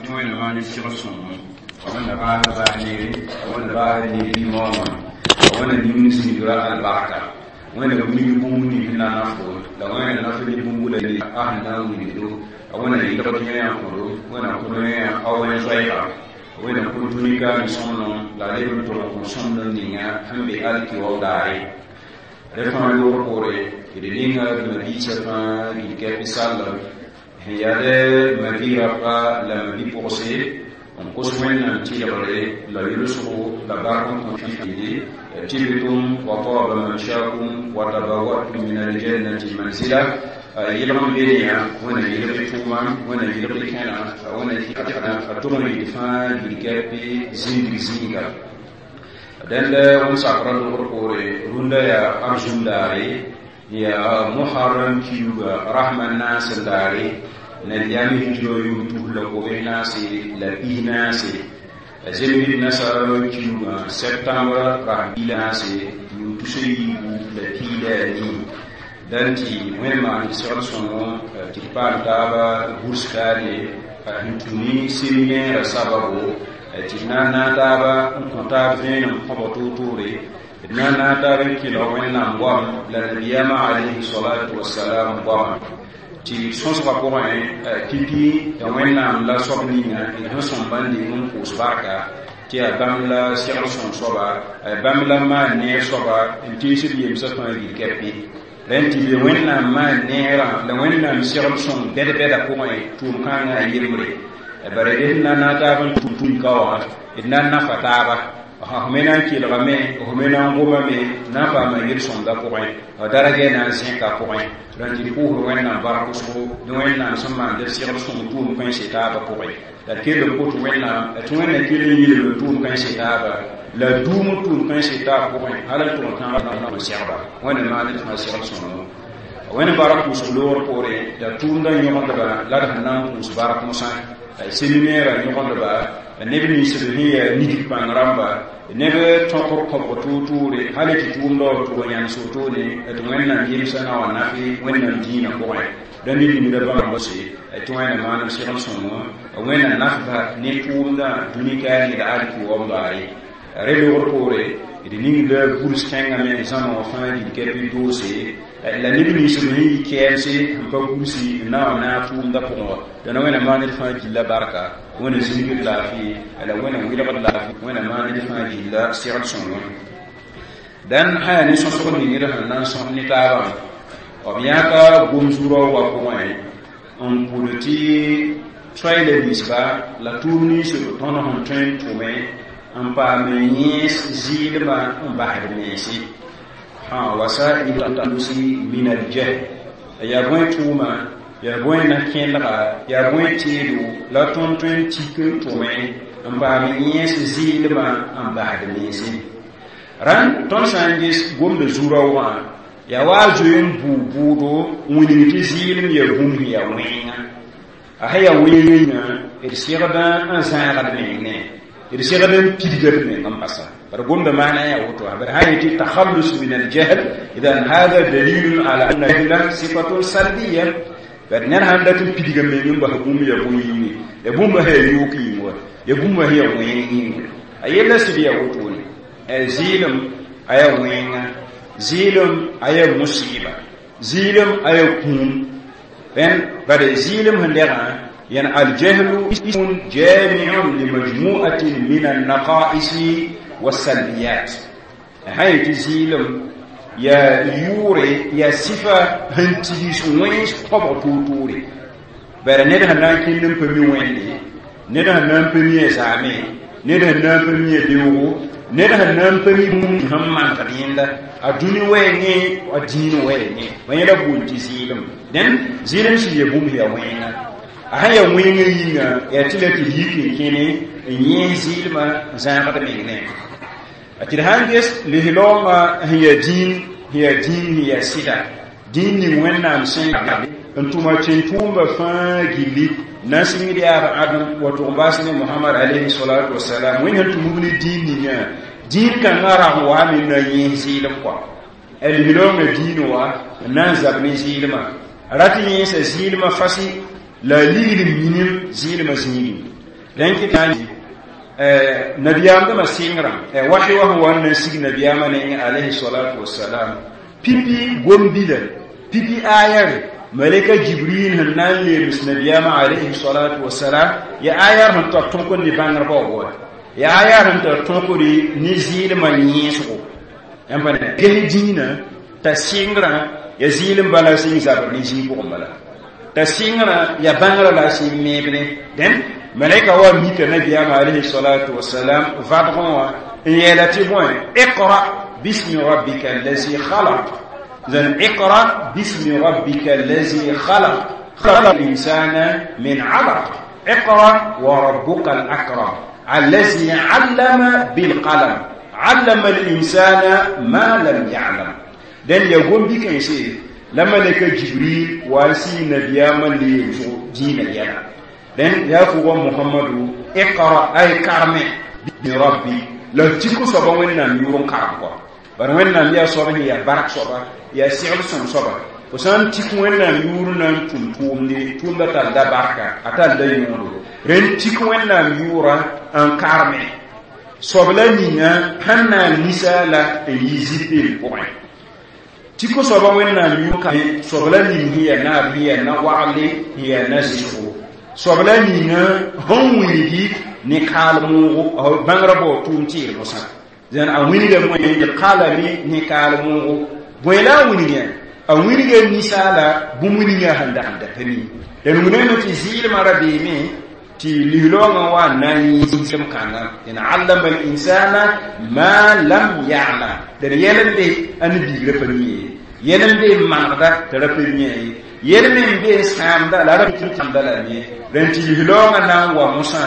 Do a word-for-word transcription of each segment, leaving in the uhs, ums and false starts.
tɩ Wẽnnaam maan segl sõngo Wẽnna baasd baas neere, Wẽnna baasd neer yĩmoomã, Wẽnna ning zĩigra albarka, Wẽnna wilg bũmb ning sẽn na n nafdo la Wẽnna naf ne bũmb la a sẽn na n wilgdo, Wẽnna yɩlgd yẽ kõdo, Wẽnna kõd yẽ a wẽn zoɛɛga, Wẽnna kõ dũni ka ne sõmblem la a leb n tʋg n kõ sõmblem ninga sẽn be alkiwaoog daare. Rẽ fãa loogr poore d ninga d mabiisã fãa gil-kɛp sallem sẽn yaa mabi-rapa la mabi-pʋgse n kos Wẽnnaam tɩlgre la yʋlsgo la bark n kõ fili tibtum wa taba mamshakum wa tabawwatum min aljannati manzila. Yɩlg n be ne yã, Wẽnna yɩlg y tʋʋma, Wẽnna yɩlg y kẽna, Wẽnna a tʋg n yɩl fãa gil-kɛp zĩndg zĩiga. Dẽnd wẽnd sakrã logr poore rũndã yaa arzũm daare, yaa Muharram kiuga rasmã naas n daare, nabiyaam hijrã yʋʋm tus la kobe naase la pis naase, zemb nasara kiugã septembre rasm piig naase yʋʋm tus a yiibu la piig la a nii. Dãn tɩ Wẽnd maan segl sõngo tɩ d paam taaba gurs kaane sẽn tũ ne séminaire sababo tɩ d na n naag taaba n kõ taab vẽenem kõbg toor-toore, d na n naag taab n kẽlg Wẽnnaam goam la nabiyaamã alayhi salatu wasalam goama tɩ sõsgã pʋgẽ pipi ya Wẽnnaam la soab ninga d sẽn sõm bãn deng n pʋʋs barka tɩ yaa bãmb la segl sõng soaba, bãmb la maan neer soaba n teesd yemsã fãa gil-kɛpe. Rẽnd tɩ be Wẽnnaam maan neerã la Wẽnnaam segl sõng bɛd-bɛda pʋgẽ tʋʋm kãngã a yembre bare d sẽn na n naag taab n tʋm tũn ka wã d na n nafa taaba. F me na n kelgame, f me na n gomame, na n paama yel-sõmda pʋgẽ, daragɛ na n zẽka pʋgẽ. Rãn tɩ d pʋʋsd Wẽnnaam bark wʋsgo ne Wẽnnaam sẽn maan d segl sõng tʋʋm kãense taabã pʋgẽ la d kell n kot Wẽnnaam tɩ Wẽnna kell n yilg tʋʋm kãense taaba la duum tʋʋm kãense taab pʋgẽ hal n tʋg n tãag n segba. Wẽnna maan d fãa segl sõngo. Wẽnd bark pʋʋsg loogr poore yaa tʋʋmdã yõgendba la d sẽn na n pʋʋs bark mosã séminaire yõgendba, neb nins b sẽn yaa nidg pãng rãmba, neb tõkr kõbg toor-toore hal tɩ tʋʋmdã wa tʋg n yãnes wotone tɩ Wẽnnaam yemsã na wa nafe Wẽnnaam dĩinã pʋgẽ. Rãmb limda bãmb se tɩ Wẽnna maan b segl sõngo, Wẽnna nafba ne tʋʋmdã dũni kaane la alkiwaoom daare. Rẽ logr poore d ningda gurs kẽngame zãma wã fãa gil-kɛp doose la neb nins b sẽn yi kɛɛmse sẽn pa gursi n na n naag tʋʋmdã pʋgẽ wã. Dãna Wẽnna maan d fãa gilla barka, Wẽnna zĩigd laafɩ la Wẽnna wɩlgd laafɩ, Wẽnna maan d fãa gilla segl sõngo. Dãn sã yaa ne sõsg ning d sẽn na n sõs ne taabã, b yãka gom-zu-raoogã pʋgẽ n pʋd tɩ soay la ninsba la tʋʋm nins b tõnd sẽn tõe n tʋme n paam yẽes zɩɩlmã n basd mense wasail talusi min aljahl. Yaa bõe tʋʋma, yaa bõe na-kẽlga, yaa bõe teedo la tõnd tõe n tik n tʋme n paam yẽes zɩɩlmã n basd mense? Rãnd tõnd sã n ges gomda zu-raoogã yaa wa a zoe n bʋʋ bʋʋdo n wilg tɩ zɩɩlem yaa bũmb sẽn yaa wẽnga. A sẽn yaa wẽnga, d segdã n zãagd meng ne d segd n pidga d meng n basa bara gomda maana yaa woto. Bara sã yetɩ takhallus min aljahl, idan hada dalilun ala anna jahla sifatun salbiya. Bad ned sãn dat n pidga meng n bas bũmb yaa bõe yĩnge, ya bũmba sã yaa yook yĩng wa, ya bũmba sã yaa wẽng yĩnga, a yella sɩd yaa wotone. Zɩɩlem a yaa wẽnga, zɩɩlem a yaa musɩɩba, zɩɩlem a yaa kũum. Rẽnd bad zɩɩlem sẽn dɛgã يعني الجهل اسم جامع لمجموعة من النقائص والسلبيات. هاي تزيلم يا يوري يا صفة هنتيس وينس قبر توتوري بر نده نان كنن بمي ويندي، نده نان بمي زامي، نده نان بمي بيوغو، نده نان بمي هم man kadinda a duni wɛɛngẽ a dĩin wɛɛngẽ wẽla bool tɩ zɩɩlem. Dẽn zɩɩlem sɩd ya bũmb yaa wẽnga. A sã yaa wẽngã yĩnga yaa tɩ la tɩ yik n kẽne n yẽes zɩɩlmã n zãagd meng ne tɩ d sãn ges lislaoongã sẽn yaa dĩin, sẽn yaa dĩin sẽn yaa sɩda dĩin ning Wẽnnaam sẽn n tʋma tẽn-tʋʋmba fãa gilli na n sɩngd yaab Adem wa tʋg n baas ne Mohamad alayhi salatu wasalam. Wẽnd sẽn tʋmb ne dĩin ninga, dĩin kãngã rag n waame n na yẽes zɩɩlem kɔa. Lislaoongã dĩin wa n na n zab ne zɩɩlmã, rat yẽesa zɩɩlmã fasɩ la a ligd minim zɩɩlmã zĩigẽ. Rẽn nabiyaam dãmba sɩngrã wahi wa sẽn wa n na n sig nabiyaamã nengẽ alayhi salatu wasalam pipi gom-bila pipi ayare malaka Jibril sẽn na n leems nabiyaamã alayhi salatu wasalam ya ayar sẽn tar tõkd ne bãngr baoogo ya ayar sẽn tar tõkd ne zɩɩlmã yẽesgo yãmb pa ges dĩinã t'a sɩngrã ya zɩɩlem bala sẽn zabr ne zĩig pʋgẽ bala t'a sɩngrã ya bãngrã la a sẽn meebne dẽn malaika wa mika nabiyaamã alayhi salatu wasalam vadgẽ wã n yeela tɩ bõe iqra bismi rabbika allazi khalaq zan iqra bismi rabbika allazi khalaq خلق الإنسان من علق اقرأ وربك الأكرم الذي علم بالقلم علم الإنسان ما لم يعلم دن يقوم بك يسير لما لك جبريل واسي نبياما ليزو دين يلا دن يا فوق محمد اقرأ أي كرمي بربي la tiko soaba wẽnnaam yʋʋr n karem kɔa bara wẽnnaam yaa soab sẽn yaa bark soaba yaa segl sõm soaba fo sã n tik wẽnnaam yʋʋr na n tʋm tʋʋmde tʋʋmda tall da barka a tall da yõodo rẽnd tik wẽnnaam yʋʋra n karme soab la ninga sẽn na n ninsaala n yi zipeel pʋgẽ tiko soaba wẽnnaam yʋʋr soab la ning sẽn yaa naab sẽn yaa na-wagle sẽn yaa na-zɩsgo soab la ninga sẽn wilgi ne kaal moogo bãngrã bao tʋʋm tɩɩr mosã zãn a wilga bõe qalami ne kaal moogo bõe la a wilgã a wilga ninsaala bũmb ninga sẽn dag n da pa mi d wilgame tɩ zɩɩlmã ra beeme tɩ lislaoongã wa n na n yẽsem kãnga d allama al-insana ma lam ya'lam d yɛl n be a ne biigrã pa mi ye yɛl n be n manegda t'a ra pa mi ye yɛl me n be n sãamda la a ra tãmda la me rẽn tɩ lislaoongã na n wa mosã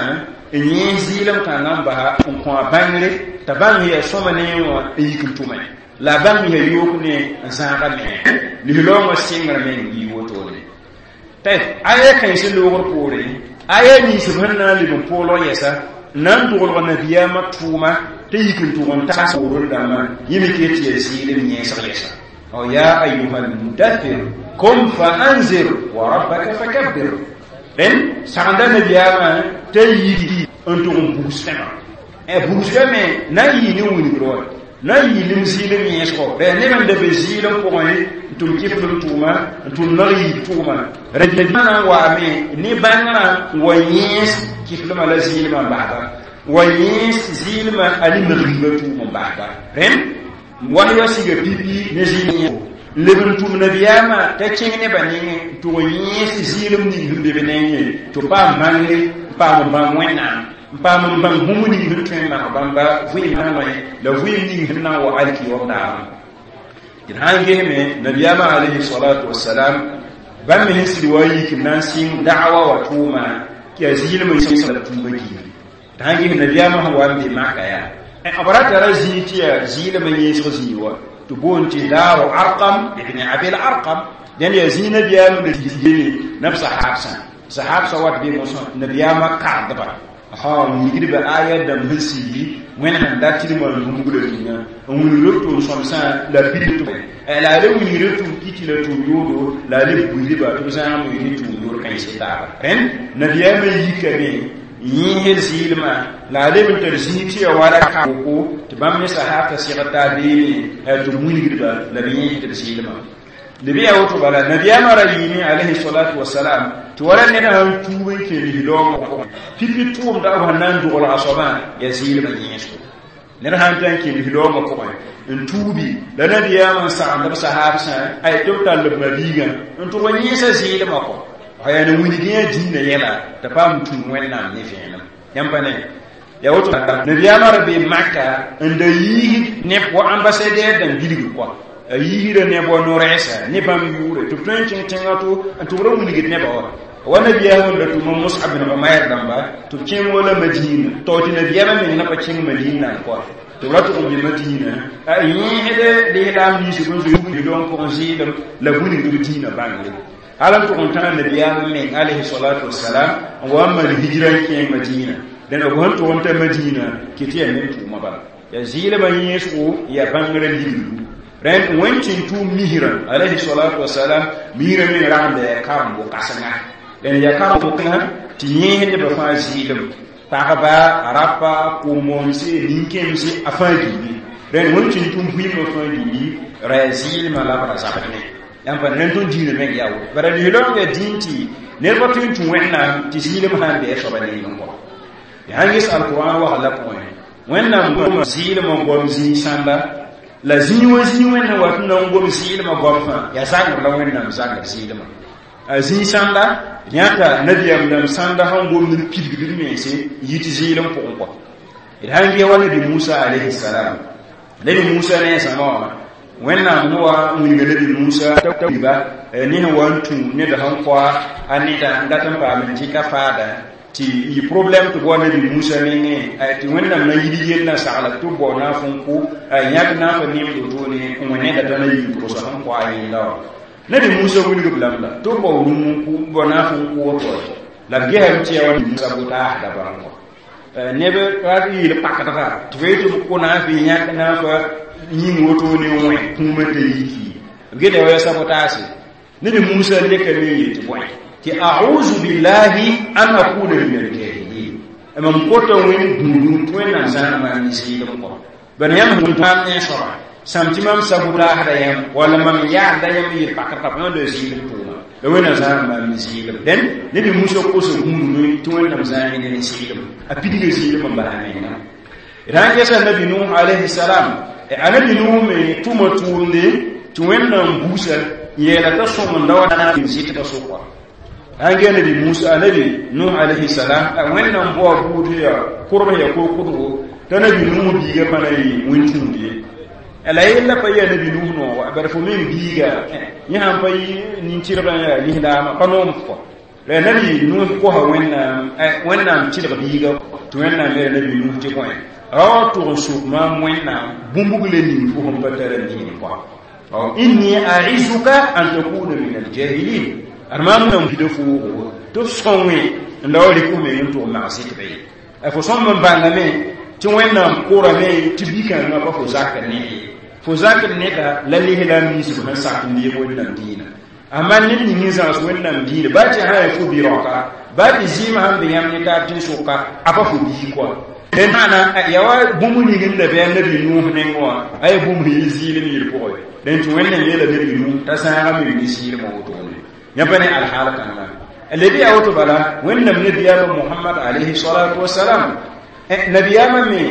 n yẽ zɩɩlem kãngã n basa n kõ a bãngre t'a bãng yaa sõma ne wã n yik n tʋme la a bãng yaa yook ne n zãaga me lislaoongã sɩngr meng yɩ wotone tɩ aya kãens loogr poore aya nins b sẽn na n leb n poolg yɛsa n na n doglg nabiyaamã tʋʋma t'a yik n tʋg n tags poorẽ dãmbã yẽ me ket tɩ yaa zɩɩlem yẽesg yɛsa ya ayuha almudathir kum fa anzir wa rabbaka fakabbir rẽn sagenda nabiyaamã t'a yiki n tʋg n bugs fẽma bugs fẽme na n yɩ ne wilgr wa na n yɩ lim zɩɩlem yẽesgo rẽ neb n da be zɩɩlem pʋgẽ n tʋm kɩflem tʋʋma n tʋm nag yiib tʋʋma rẽ na n waame ne bãngrã n wa yẽes kɩflmã la zɩɩlmã n basba wa yẽes zɩɩlmã a ne nag-yiibã tʋʋm n basba rẽn wahya siga pipi ne zɩɩlem leb n tʋm nabiyaamã t'a kẽng nebã nengẽ n tʋg n yẽes zɩɩlem ning sẽn be b nengẽ tɩ paam bãngre n paam n bãng wẽnnaam n paam n bãng bũmb ning sẽn tõe n mak bãmba vɩɩm na la vɩɩm ning sẽn na n wa alkiyoom daabã d sã n gesme nabiyaamã alayhi salatu wasalam bãmb me sẽn sɩd wa n yik n na n sɩng da'wa wa tʋʋma tɩ yaa zɩɩlem n la tũubã giiri d sã n ges nabiyaamã sẽn wa n be maka yaa b ra tara zĩig tɩ yaa zɩɩlem n yẽesg zĩig wa tɩ boond tɩ daaru Arqam ibn Abil Arqam dẽnd yaa zĩig nabiyaam la yene nab sahabsã sahabsã wat be mosã nabiyaamã kardba ha wilgdba aya dãmb sẽn sigi wẽnd sẽn dat tɩ d maan bũmb la ninga n wilgr b tʋʋm sõmsã la pid la a le wilgr b tʋʋm kiti la tʋʋm yoodo la a le buidba tɩ b zãag me ne tʋʋm yoor kãens taaba rẽnd nabiyaamã yikame yẽesd zɩɩlmã la a leb n tar zĩig tɩ ya wala ka-woko tɩ bãmb ne sahabtã sɩgd taa beeme tɩ b wilgdba la b yẽesd b zɩɩlmã lb yaa woto bala nabiyaamã ra yɩɩme alayhi salatu wasalam tɩ wala ned sãn tuub n kẽ lislaoongã pʋgẽ pipi tʋʋmda b sẽn na n doglga soabã yaa zɩɩlmã yẽesgo ned sãn ta n kẽ lislaoongã pʋgẽ n tuubi la nabiyaamã n sagend b sahabsã ay tɩ b tall b mabiigã n tʋg n yẽesa zɩɩlmã kɔ yaa na wilg yã dĩinã yɛla t'a paam tũud wẽnnaam ne vẽenem yãmb pa ne yaa woto nabiyaamã ra be maka n da yiisd neb wa ambassadɛr dãmb bilgr kɔa a yiisda neb wa no-rɛɛsa ne bãmb yʋʋre tɩ b tõe n kẽng tẽngã to n tʋg ra wilgd nebã wa wa nabiyaam n da tʋma Mus'ab bin Umayr dãmba tɩ b kẽng wala Madina tao tɩ nabiyaamã meng na pa kẽng Madina n kɔa tɩ b ra tʋg n be Madina a yẽesd lislaam nins b n zoe lon pʋgẽ zɩɩlem la wilgd b dĩinã bãngre hal n tʋg n tãag nabiyaam meng alayhi salatu wasalam n wa n maan hijra n kẽeng Madina dẽn b sẽn tʋg n ta Madina kɩ tɩ yaa nem tʋʋmã bala yaa zɩɩlmã yẽesgo yaa bãngrã ligdgu rẽnd wẽnd tɩ n tʋʋm misrã alayhi salatu wasalam misrã meng rag n da yaa karem-bʋ-kãsenga dẽn yaa karem-bʋ-kãsenga tɩ yẽes nebã fãa zɩɩlem pagba rapa kʋ-moonse nin-kẽemse a fãa gilli rẽnd wẽnd tũ tʋm vɩɩmã fãa gilli ra yaa zɩɩlmã la b ra zabd ne yãmb pa rẽnd tõnd dĩinã meng yaa woto bara lislaoongã dĩin tɩ ned pa tõe n tũ Wẽnnaam tɩ zɩɩlem sã n bɩ a soaba nengẽ kɔ ya sãn ges alkurãn wagl la pʋgẽ Wẽnnaam goma zɩɩlmã goam zĩig sãnda la zĩig wã zĩig Wẽnnaam wat n na n gom zɩɩlmã goam fãa yaa zangr la Wẽnnaam zangr zɩɩlmã a zĩig sãnda yãta nabiyaam dãmb sãnda sẽn gomd n pidgd d mense yit zɩɩlem pʋgẽ kɔ d sãn ges wa nabi Musa alayhi salam nabi Musa ne a zãma wã Wẽnnaam sẽn wa n wilga nabi Musa t'a ba ne sẽn wa n tũ ned sẽn koa a neda n dat n paam n dɩka faada tɩ yɩ problɛm tɩ bao nabi Musa mengẽ tɩ Wẽnnaam na yid yell na sagla tɩ b bao naaf n kʋ yãk naaf n nemd wotone n wẽ neda t'a na yii tʋgsa sẽn koa a yẽnda wã nabi Musa wilg b lame la tɩ b bao rũm n kʋ bao naaf n kʋ woto la b gesame tɩ yaa wa Musa bʋ-taasda bãmb kɔ neb rat yeel pakdga tɩ fo yetɩ b kʋ naaf yãk naafa yĩng wotone n wẽ kũumã t'a yiki b geda wa yaa sabotaase nabi Musa lekame n yetɩ bõe tɩ a'udhu billahi an akuna min al-jahilin mam kota wẽnd gũudum tɩ Wẽnnaam zãana maam ne zɩɩlem kɔ bala yãmb sẽn maam ne soaba sãm tɩ mam sabotaasda yãmb walla mam yaadda yãmb yel pakdga pa yãmb la zɩɩlem tʋʋma la Wẽnnaam zãana maam ne zɩɩlem dẽn nabi Musa kosa gũudum tɩ Wẽnnaam zãana ne zɩɩlem a pidga zɩɩlem n bala menga d sãn gesa nabi Nuh alayhi salam a nabi Nuh me tʋma tʋʋmde tɩ Wẽnnaam busa yeela t'a sõng n da wa na n zɩtbã sʋka sãn gee nabi Musa nabi Nuh alayhi salam Wẽnnaam baoa buud ya kʋrb ya kurkʋdgo t'a nabi Nuh biiga pa na yɩ wẽn-tũud ye la yella pa yaa nabi Nuh nooga bara fo meng biiga yẽ sãn pa yɩ nin-tɩrgã yaa lislaamã pa noom kɔ la nabi Nuh kosa Wẽnnaam Wẽnnaam tɩlg biiga tɩ Wẽnnaam yeela nabi Nuh tɩ bõe ra wa tʋg n sʋk maam Wẽnnaam bũmb le ning fo sẽn pa tara ning kɔ inni a'izuka an takuna min al-jahilin ad maam wẽnnaam pida foogo tɩ f sõnge n la wa rɩk f meng n tʋg mags tɩ ye fo sõmb n bãngame tɩ Wẽnnaam korame tɩ bi-kãngã pa fo zakr ne ye fo zakr neda la lislaam ninsb sẽn sak n deeg Wẽnnaam dĩinã amma ned ning n zãgs Wẽnnaam dĩinã baa tɩ sã yaa fo bi-raoka baa tɩ zɩɩmã sãn be yãmb ne taab tẽn-sʋka a pa fo bii kɔa maana yaa wa bũmb ning n da bɩ a nabi Nuh nengẽ wã a yaa bũmb sẽn yɩ zɩɩlem yel pʋgẽ dẽn tɩ Wẽnnaam yeela nabi Nuh t'a sãagame ne zɩɩlmã wotone yã pa ne alhaal kãnga leb yaa woto bala Wẽnnaam nabiyaamã Mohamad alayhi salatu wasalam nabiyaamã me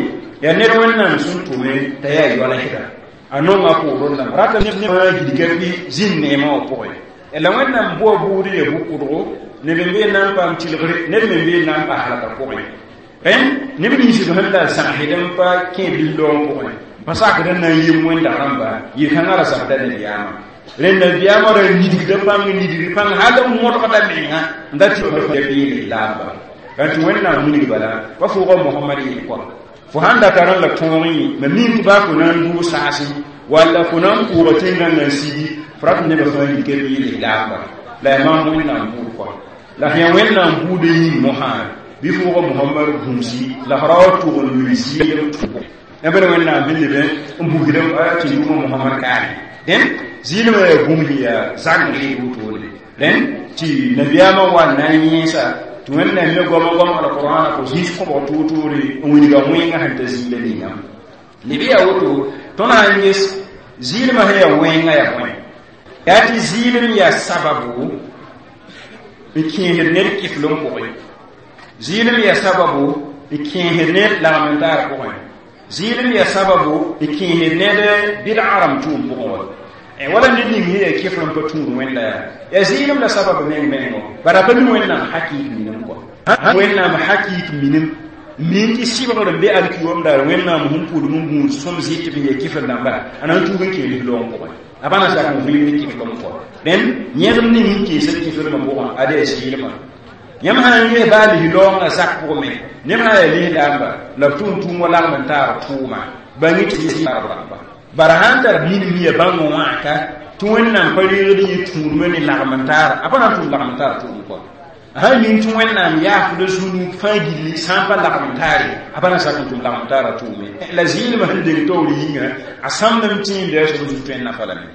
yaa ned Wẽnnaam sẽn tʋme t'a yaa yoalsda a nonga poorẽ lame rata ne fãa gilga bɩ zĩnd neemã wã pʋgẽ la Wẽnnaam boa buud ya bʋ-kʋdgo neb n bee na n paam tɩlgre neb me bee na n pa halka pʋgẽ rẽnd neb ninsb sẽn la zãgsd n pa kẽed lislaoong pʋgẽ pa sakd n na n yem wẽnda rãmba yel-kãngã ra zabda nabiyaamã rẽnd nabiyaamã ra nidgda pãng nidgd pãng hal n modgda menga n da tɩ bɩ lislaamba tɩ Wẽnnaam wilg bala pa fʋʋga Mohamad yel kɔa fo sãn da tar n la tõog yẽ mam nin tɩ baa fo na n dʋʋg saasẽ walla fo na n pʋʋga tẽn-gãngã n sigi fo rat nebã fãa rɩka bɩ lislaamba la yaa maam Wẽnnaam buud kɔa la sẽn yaa Wẽnnaam buudã yĩng mosã bɩ fʋʋga Mohamad gũusi la f ra wa tʋg n lʋɩ zɩɩlem tʋgo yãmb ne Wẽnnaam sẽn leb n busdem tɩ yʋʋmã Mohamad kaane dẽn zɩɩlmã yaa bũmb sẽn yaa zangr wotone rẽnd tɩ nabiyaamã wa n na n yẽesa tɩ Wẽnnaam me goama goam alqurãna fo zĩis kõbg toor-toore n wilga wẽngã sẽn ta zĩila ningã leb yaa woto tõnd sã n ges zɩɩlmã sẽn yaa wẽngã yaa bõe yaa tɩ zɩɩlem yaa sababu n kẽesd ned kɩflem pʋgẽ zɩɩlem yaa sababu n kẽesd ned lagm n taar pʋgẽ zɩɩlem yaa sababu n kẽesd ned bɩdga rãmb tʋʋm pʋgẽ wa wala ned ning sẽn yaa kɩfr n pa tũud Wẽnda yaa yaa zɩɩlem la sabab meng mengo bara pa mi Wẽnnaam hakɩɩk minim kɔ Wẽnnaam hakɩɩk minim min tɩ sɩbgr n be alkiyoom daar Wẽnnaam sẽn pʋdem n gũud sõm zɩt b yaa kɩfr dãmba a na n tuug n kẽe lislaoong pʋgẽ a pa na sak n vɩɩm ne kɩflem kɔ rẽnd yẽgem ning n kẽesa kɩfrmã pʋgẽ ad yaa zɩɩlmã yãmb sã n ges baa lislaoongã zak pʋgẽ me neb sã yaa lislaamba la b tʋʋm tʋʋm wa lagm n taar tʋʋma bãng tɩ rãmba bara sãn tar minim ya bãng wãka tɩ Wẽnnaam pa reegd yẽ tũudmã ne lagm n taara a pa na n tʋm lagm n taar tʋʋm kɔ sãn ning tɩ Wẽnnaam yaafda zũnug fãa gilli sã n pa lagm n taare a pa na sak n tʋm lagm n taara tʋʋme la zɩɩlmã sẽn deng taoor yĩnga a sãmdem tẽen bɩa soab zug tõe n nafa lame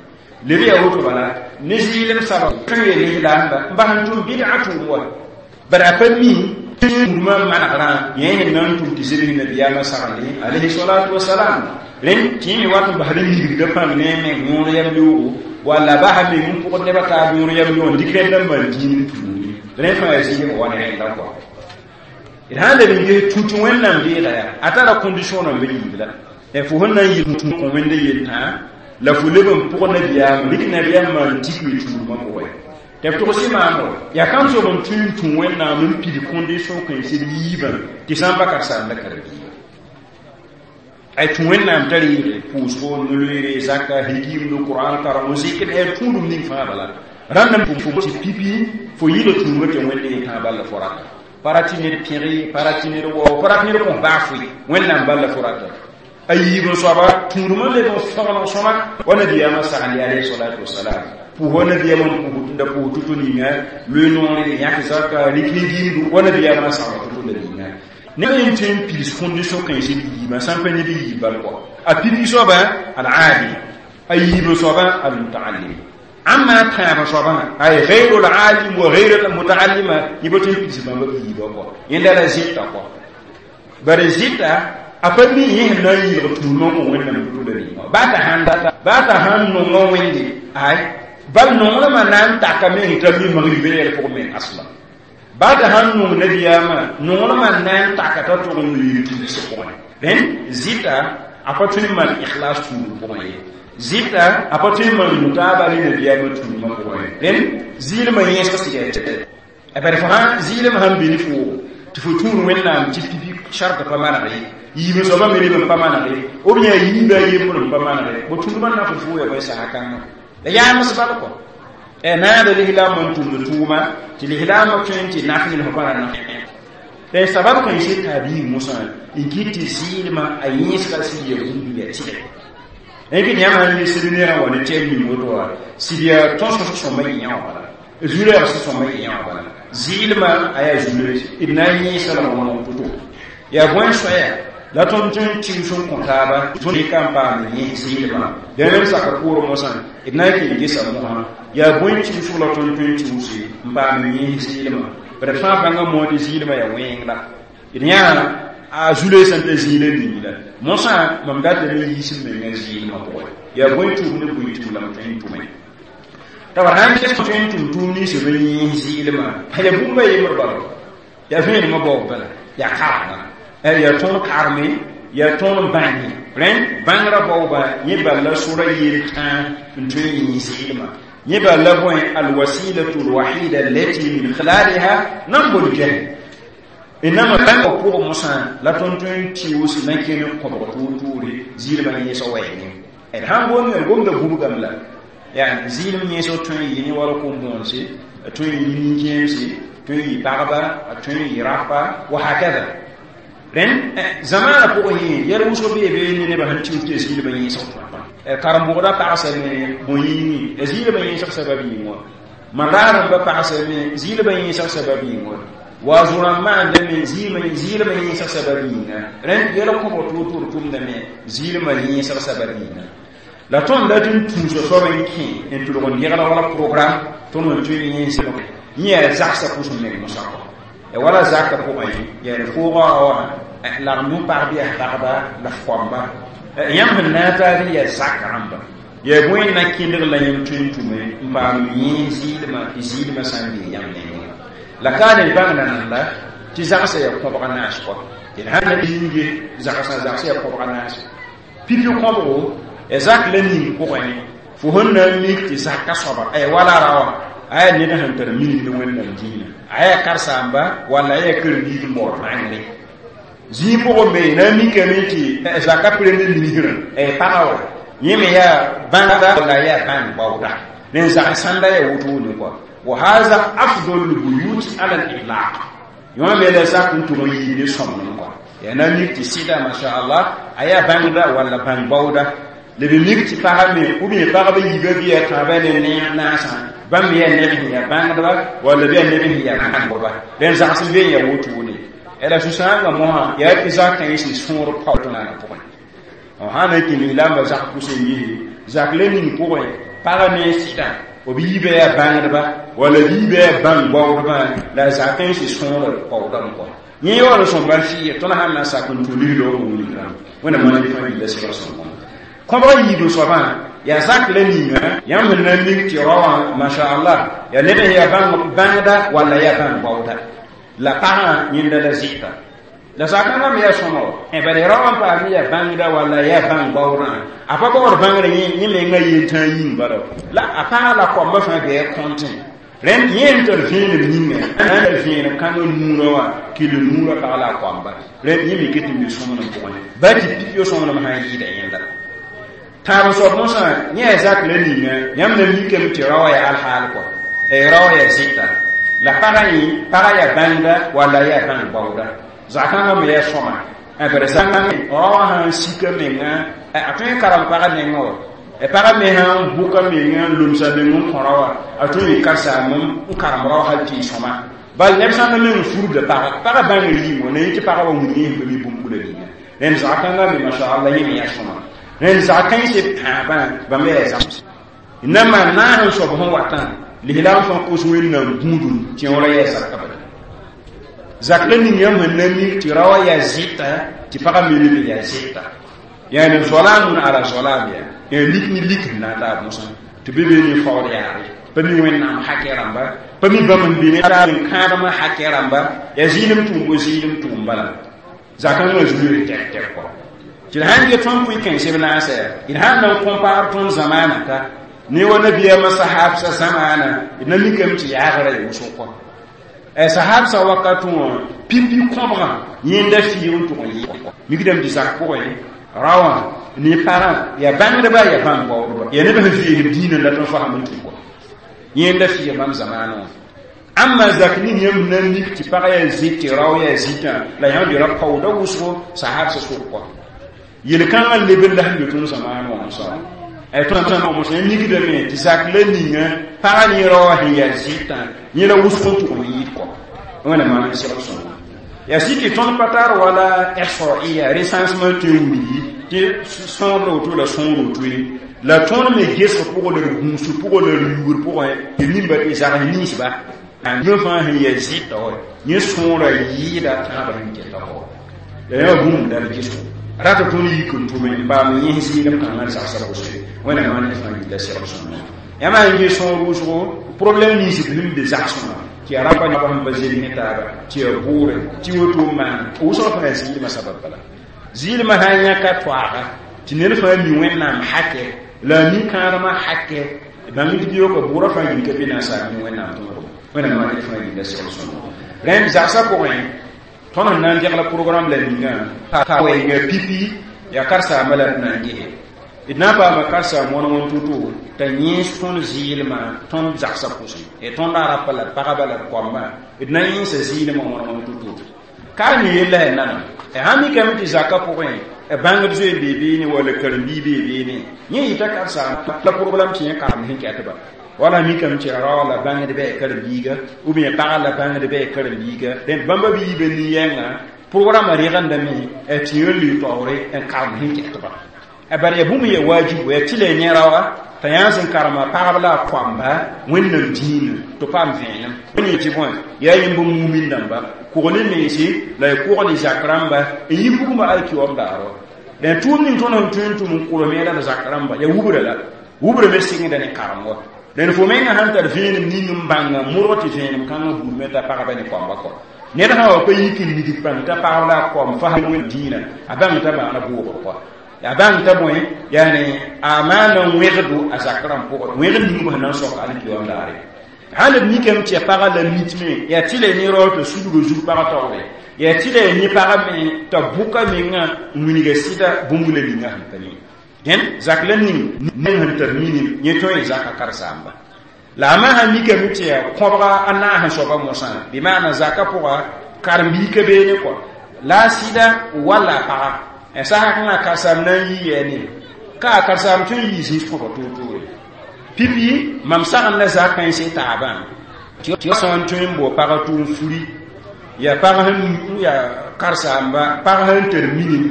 leb yaa woto bala ne zɩɩlem sabab tõe n lislaamba n bas n tʋm bɩdga tʋʋm wa bara pa mi Tũudmã manegrã yẽ sẽn na n tʋm tɩ zems nabiyaamã saglẽ alayhi salatu wasalam rẽnd tɩ yẽ me wat n basd n yigda pãng ne a meng yõor yam yoogo walla basa meng n pʋgd nebã taab yõor yam yoog n dɩk rẽndã n maan dĩin n tuudi rẽ fãa yaa zɩɩmã wa ne rẽndã kɔa d sã n leb n ges tũ tɩ Wẽnnaam deega yaa a tara condition rãmb yiib la fo sẽn na n yɩl tũ kõ Wẽnde yel-tã la fo leb n pʋg nabiyaam rɩk nabiyaam maan tikre tuudmã pʋgẽ tɩ b togs maamo yaa kam soab n tõe n tũ Wẽnnaam n pid condition kãens d yiibã tɩ sã n pa karsaanda karen-biiga ay tũ Wẽnnaam t'a reege pʋʋsgo no-loeere zaka higimdo Qur'an karemo zikr yaa tũudum ning fãa bala rãnd n fo tɩ pipi fo yɩla tũumã tɩ Wẽnde yetã bal la fo rata pa rat tɩ ned pẽge pa rat tɩ ned wao pa rat ned kõs baa foe Wẽnnaam bal la fo rata a yiib n soaba tũudmã leb n fãgeneg sõma wa nabiyaamã sagende alayhi salatu wasalam pʋʋs wa nabiyaamã n pʋʋs da pʋʋs to-to ninga loe noore yãk zaka rɩk ne gimdu wa nabiyaamã sagl to-to la ninga neb n tõe n pids condition kãens d yiibã sã n pa ned yiib bal kɔ a pipi soaba al-aalim a yiib n soaba al-mutaallim amma tãab soaba ay ghayru al-aalim wa ghayru al-mutaallima yẽ pa tõe n pids bãmba b yiibã kɔ yẽnda la zɩta kɔ bare zɩta a pa mi yẽ sẽn na n yɩlg tũudmã kõ Wẽnnaam to la ninga baa t'a sãn data baa t'a sãn nongã Wẽnde ay bal nonglmã na n takame sẽn t'a mi magribã yɛl pʋgẽ meng asla baa t'a sãn nong nabiyaamã nonglmã na n taka t'a tʋg n yɩl tuudsã pʋgẽ rẽnd zɩta a pa tõe n maan ikhlas tuudum pʋgẽ ye zɩta a pa tõe n maan mutaaba ne nabiyaamã tuudmã pʋgẽ ye rẽnd zɩɩlmã yẽsg sɩga bare fo sãn zɩɩlmã sãn be ne fo tɩ fo tũud Wẽnnaam tɩ pipi sartã pa maneg ye yiib n soabã me leb n pa maneg ye ou bien a yiibã a yembr n pa maneg ye bo tũudmã na fo fo ya bõe sã kãngã la yaams bal kɔ naada lislaamã n tʋmd tʋʋma tɩ lislaamã tõe n tɩ naf ned fo pa na naf la sabab kãens t'a biig mosã n kɩt tɩ zɩɩlmã a yẽsga sɩd ya bũmb ya tɩgɛ kɩt yãmb sãn yel sɩd neerã wa ne tɛm ning woto wa sɩd yaa tõsg sõma yẽ wã bala zu-rɛɛg sẽn sõma yẽ wã bala zɩɩlmã a yaa zu d na n yẽesa la wõneg to-to yaa bõe soaya la tõnd tõe n tɩʋs n kõ taaba tõnd ka n paam yẽ zɩɩlmã dẽnem saka pʋʋr mosã d na n kẽ gesa mosã yaa bõe tɩʋsg la tõnd tõe n tɩʋse n paam yẽ zɩɩlmã bara fãa bãnga mood tɩ zɩɩlmã yaa wẽng la d yã a zulẽ sẽn ta zĩila ning la mosã mam datame yiis n menga zɩɩlmã pʋgẽ yaa bõe tʋʋm ne bõe tʋʋm la m tõe n tʋme t'a bara sãn ges tõe n tʋm tʋʋm ninsã b yẽ zɩɩlmã yaa bũmba yembr bala yaa vẽenemã baoog bala yaa karengã yaa tõnd karme yaa tõnd bãnge rẽnd bãngrã baoobã yẽ bal la sora yel tãa n tõe n yẽ zɩɩlmã yẽ bal la bõe alwasilatu alwahida allati min khilaliha nambu ljahl nama bãngã pʋgẽ mosã la tõnd tõe n tɩʋs na n kẽne kõbg toor-toore zɩɩlmã yẽsg wɛɛngẽ d sãn gomd d gomda bubgame la yaa zɩɩlem yẽsg tõe n yɩ ne wala kom-bõonse a tõe n yɩ nin-kẽemse tõe n yɩ pagba a tõe n yɩ rapa wa hakada rẽnd zamaanã pʋgẽ yẽ yɛl wʋsg bee be ne nebã sẽn tɩʋs tɩ zɩɩlmã yẽsg karen-bʋgda pagsame bõe-yĩngẽ ya zɩɩlmã yẽsg sabab yĩng wã man-raarãmbã pagsame zɩɩlmã yẽsg sabab yĩng wã waazʋrã maandame zɩɩlmã yẽsg sabab yĩnga rẽnd yɛl kõbg toor-toor tʋmdame zɩɩlmã yẽsg sabab yĩnga la tõnd dat n tũusa soab n kẽ n tʋlg n degla wala programme tõnd n tõe n yẽsem yẽ yaa zagsã pʋs n meng mosã kɔ ya wala zakã pʋgẽ yaa d foogã wã lagem n pag bɩ yaa pagba la f koamba yãmb sẽn na n taab yaa zak rãmba yaa bõe na kẽndg la yãmb tõe n tʋme n paam yẽ zɩɩlmã tɩ zɩɩlmã sã n bee yãmb nengẽ la ka ned bãng nananda tɩ zagsã yaa kõbg naas kɔ tɩ d sãn na yĩnge zagsã zagsã yaa kõbg naas pipi kõbgo ya zak la ning pʋgẽ fo sẽn na n mik tɩ zaka soaba ay wala ra wã a yaa ned sẽn tar minim ne Wẽnnaam dĩinã a yaa karsaamba walla a yaa karen-biig n baood bãngre zĩig pʋgẽ me na n mikame tɩ zaka premier ministre paga wa yẽ me yaa bãngda walla a yaa bãng baooda rẽn zag sãnda yaa wotone kɔa wa haza afdal lbuyut ala litlaq yõ me la zak n tʋg n yiib ne sõmnem kɔa yaa na n mik tɩ sɩda masha Allah a yaa bãngda walla bãng baooda la b mik tɩ pagã me ou bien pagba yiibã bɩ yaa tãabã ne naasã bãmb me yaa neb sẽn yaa bãngdba walla bɩ yaa neb sẽn yaa bãngba rẽnd zags n be n yaa wotone la sũ-sãamga mosã yaa tɩ zakã yẽ sẽn sõor paootãana pʋgẽ sã na n kẽ lislaambã zak pʋs n yise zak la ning pʋgẽ pagã ne sɩdã b yiibã yaa bãngdba wala b yiibã yaa bãng baoodbã la a zak-kãensã sõora paoodame kɔ yẽ yaool n sõmba fɩ tõnd sãn na n sak n tũ ligdɔ n wilgrã wẽnnaam maan fãa yilla sɩgr sõngo kõbg yiib soabã yaa zak la ninga yãmb sẽn na n mik tɩ raowã masha-Allah yaa ned sẽn yaa bãngda walla yaa bãng baooda la pagã yẽnda la zɩta la zakãngã me yaa sõma wa bala raowã n paam yaa bãngda walla yaa bãng baoodã a pa baood bãngrã yẽ mengã yentã yĩng bala la a pagã la koambã fãa bɩ kõntẽ rẽnd yẽ n tar vẽenem yĩnga n vẽenem kãngã nuurã wã kell nuurã pag la a koamba rẽnd yẽ me ket n be sõmnem pʋgẽ ba tɩ pipi sõmnem sã n yɩɩda yẽnda tãab soab mosã yẽ yaa zak la ninga yãmb na mikame tɩ raoã yaa alhaal kɔ raoã yaa zɩta la pagã yẽ pagã yaa bãngda walla yaa bãng baooda zakãngã me yaa sõma bara raoã sãn sika menga a tõe n karem pagã nengã wa pagã me sãn bʋka menga n lomsa meng n kõ raoã a tõe n karsaam n karem rao hal tɩ y sõma bal neb sãn na meng furda pagã pagã bãngr yĩng wa na yẽ tɩ pagã wa wilg yẽ sẽn pa mi bũmb-bula ninga rẽnd zakãngã me masha-Allah yẽ me yaa sõma rẽnd zak-kãensã pãabã bãmb yaa zãms na maan naas n soab sẽn watã lislaam fãa kos wẽnnaam gũudum tɩ wã yaa zaka bala zak la ning yãmb sẽn na mik tɩ raoã yaa zɩta tɩ pagã me leb n yaa zɩta yaani zolaam ala zolaam yaa yaa lik ne lik sẽn na n taab mosã tɩ be be ne faood yaare pa mi wẽnnaam hakɛ rãmba pa mi bãmb n be ne n kãadmã hakɛ rãmba yaa zɩɩlem tʋʋm bo zɩɩlem tʋʋm bala zakãngã zuere tɛk tɛk kɔ tɩ d sãn get tõnd pʋɩ kãensb naasa yaa d sãn na n kõmpaar tõnd zamaana ka ne wa nabiyaamã sahabsã zamaana d na mikame tɩ yaagrã ya wʋsg kɔ sahabsã wakat wã pipi kõbgã yẽnda fɩɩg n tʋg n yɩ mikdame tɩ zak pʋgẽ raowã ne pagã yaa bãngdba yaa bãng baoodba yaa neb sẽn veesd diinã la tõnd fasem n tũ kɔ yẽnda fɩɩg bãmb zamaanã wã amma zak ning yãmb na n mik tɩ pagã yaa zɩt tɩ rao yaa zɩtã la yãmb dɩ ra paooda wʋsgo sahabsã sʋk kɔ yel-kãngã leb n la sẽn be tõnd zamaanã wã mosã tõnd mosã mikdame tɩ zak la ninga pagã ne raoã sẽn yaa zɩtã yẽ la wʋsg n tʋg n yɩɩd kɔ wẽnnaam maan n segl sõngo yaa sɩ tɩ tõnd pa tar wala ihsaiya recensement tõe n wilgi tɩ sõor la woto la sõor woto ye la tõnd me gesg pʋgẽ la d gũusg pʋgẽ la d yuugr pʋgẽ tɩ nimba tɩ zags ninsba yẽ fãa sẽn yaa zɩta wa yẽ sõora yɩɩda tãabã sẽn kɛta kɔ la yã bũmb la d gesgo rata tõnd yik n tʋme n paam yẽs zɩɩlem kãngã d zagsã wʋsg wẽnnaam maan fãa yilla segl sõngo yãmb sãn ges sõor wʋsgo problème nins b sẽn be zagsẽ wã tɩ yaa rãmba neb sẽn pa zems ne taaba tɩ yaa bʋʋre tɩ woto n maan wʋsg fãa zɩɩlmã sabab bala zɩɩlmã sã n yãka toaaga tɩ ned fãa mi wẽnnaam hakɛ la a mi kãadmã hakɛ bãmb tɩ biooka bʋʋrã fãa yĩn ka be na n saam mi wẽnnaam tõodgo wẽnnaam maan fãa yilla segl sõngo rẽnd zagsã pʋgẽ tõnd sẽn na n degla programme la ninga pa wɛɛnga pipi yaa karsaambã la d na n gese d na n paama karsaam wãn wãn to-to t'a yẽes tõnd zɩɩlmã tõnd zagsã pʋsẽ tõnd a rapa la d pagba la d koambã d na yẽesa zɩɩlmã wãn wãn to-to ka ne yella ya nanam sãn mikame tɩ zakã pʋgẽ bãngd zoe n bee beene walla karen-biig bee beene yẽ yɩta karsaam la problème tɩ yẽ karem sẽn kɛtba wala mikame tɩ rao la bãngd bɩ a karen-biiga ou bien pagã la bãngd bɩ a karen-biiga dẽnd bãmba bɩ yiibã nin-yɛngã programme regendame tɩ yẽ lʋɩ taoore n karem sẽn kɛtba bara yaa bũmb yaa wajibu yaa tɩ la yẽ raoa t'a yãa sẽn karema pagb la a koamba wẽnnaam dĩinã tɩ paam vẽenem wẽn tɩ bõe yaa yẽmb mumin dãmba kogl mense la y kogl zak rãmba n yi bugmã alkiwam daaro dẽn tʋʋm ning tõnd sẽn tõe n tʋm n kolem la d zak rãmba yaa wubra la wubra me sɩngda ne karem wa dẽn fo menga sãn tar vẽenem ning n bãnga modg tɩ vẽenem kãngã buudme t'a pagba ne koamba kɔ ned sã wa pa yik n nigd bãng t'a pagb la a koam fasem wẽnd dĩinã a bãng t'a maana bʋʋgr kɔ ya bãng t'a bõe yaani a maana wẽgdo a zak rãmb pʋgẽ wẽgd ning sẽn na n sok alkiwam daare sãn d mikame tɩ ya pagã la mitme yaa tɩ la ne rao t'a sudga zug pagã taoore yaa tɩ la ya ne pagã me t'a bʋka menga n wilga sɩda bũmb la ninga sẽn pa ne dẽn zak la ning neng sẽn tar minim yẽ tõe n zaka karsaamba la a masã mikame tɩ ya kõbga a naas n soaba mosã bɩ maana zakã pʋga karen-biig ka beene kɔ la a sɩda walla a paga sasa kãngã karsaam na n yi yaa ne ka a karsaam tõe n yɩ zĩis kõba toor-toore pipi mam sagend la zak kãensẽ taabã tɩ sã n tõe n bao pagã tʋʋm furi yaa pag sẽn yaa karsaamba pag sẽn tar minim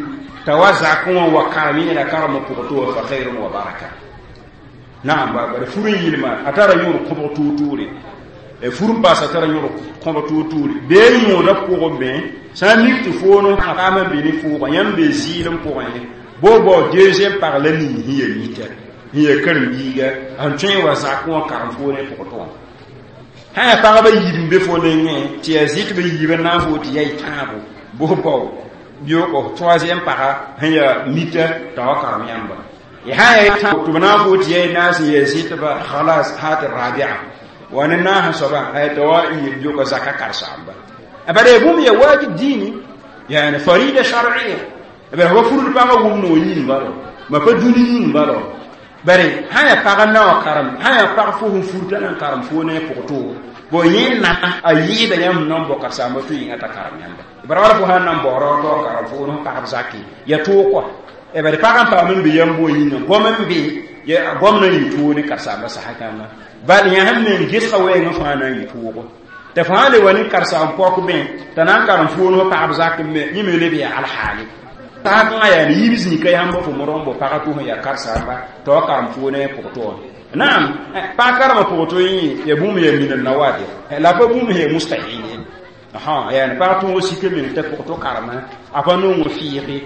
t'a wa zakẽ wã wa karem yẽ la karemã pʋgẽ tɩ wa fa khairun wa baraka Naam, bara furu yilma a tara yõor kõbg tuur-tuure, fur n paasa tara yõor kõbg tuur-tuure bee yõoda pʋgẽ me sã n mik tɩ foon paam n be ne fʋʋgã yãmb be zɩɩlem pʋgẽ bo bao deuxième pag la ning sẽn ya mita sẽn ya karen-biiga sẽn tõe n wa zak wã karem foo ne pʋgtɔ wã sã yaa pagba yiib n be fo nengẽ tɩ yaa zɩt b yiib n na n fo tɩ yaa y tãabo bos bao bioogo troisième paga sẽn yaa mita t'a wa karem yãmba tɩ b na n fo tɩ yaa y naas n yaa zɩtba khalas hat rabia wa ne naas soaba t'a wa biooga zaka karsaamba bara ya bũmb ya wajib dini yani farida shar'iyya bara wa furud paga wʋm no yĩng balo ma pa dũni yĩng balo bare sã yaa pag n na wã karem sã yaa pag fo sẽn fur t'a na n karem fo ne pʋgto bo yẽ na a yɩɩda yãmb nan bao karsaamba tɩ yĩnga t'a karem yãmba bara wala fo sã n na n baoora t'a wa karem fo ne pagb zake ya toog kɔa bare pag n paam n be yãmb wã yĩnga gom n be gom na n yɩ toog ne karsaamba sasa kãngã bal yã sẽn meng gesga wɛɛngã fãa na n yɩ toogo t'a fãa le wa ne karsaam pɔk bẽ t'a na n karem foon fo pagb zak me yẽ me leb yaa alhaale saakãngã yaa ne yiib zĩika yãmb fo modg n bao pagã tʋ sẽn yaa karsaamba t'a wa karem foo ne pʋgtɔ wã naam pag karemã pʋgtɔ yẽ ya bũmb yaa min nawadir la pa bũmb sẽn yaa mustahil ye yaa pag tõog sika meng t'a pʋgtɔ karema a pa nong fɩɩge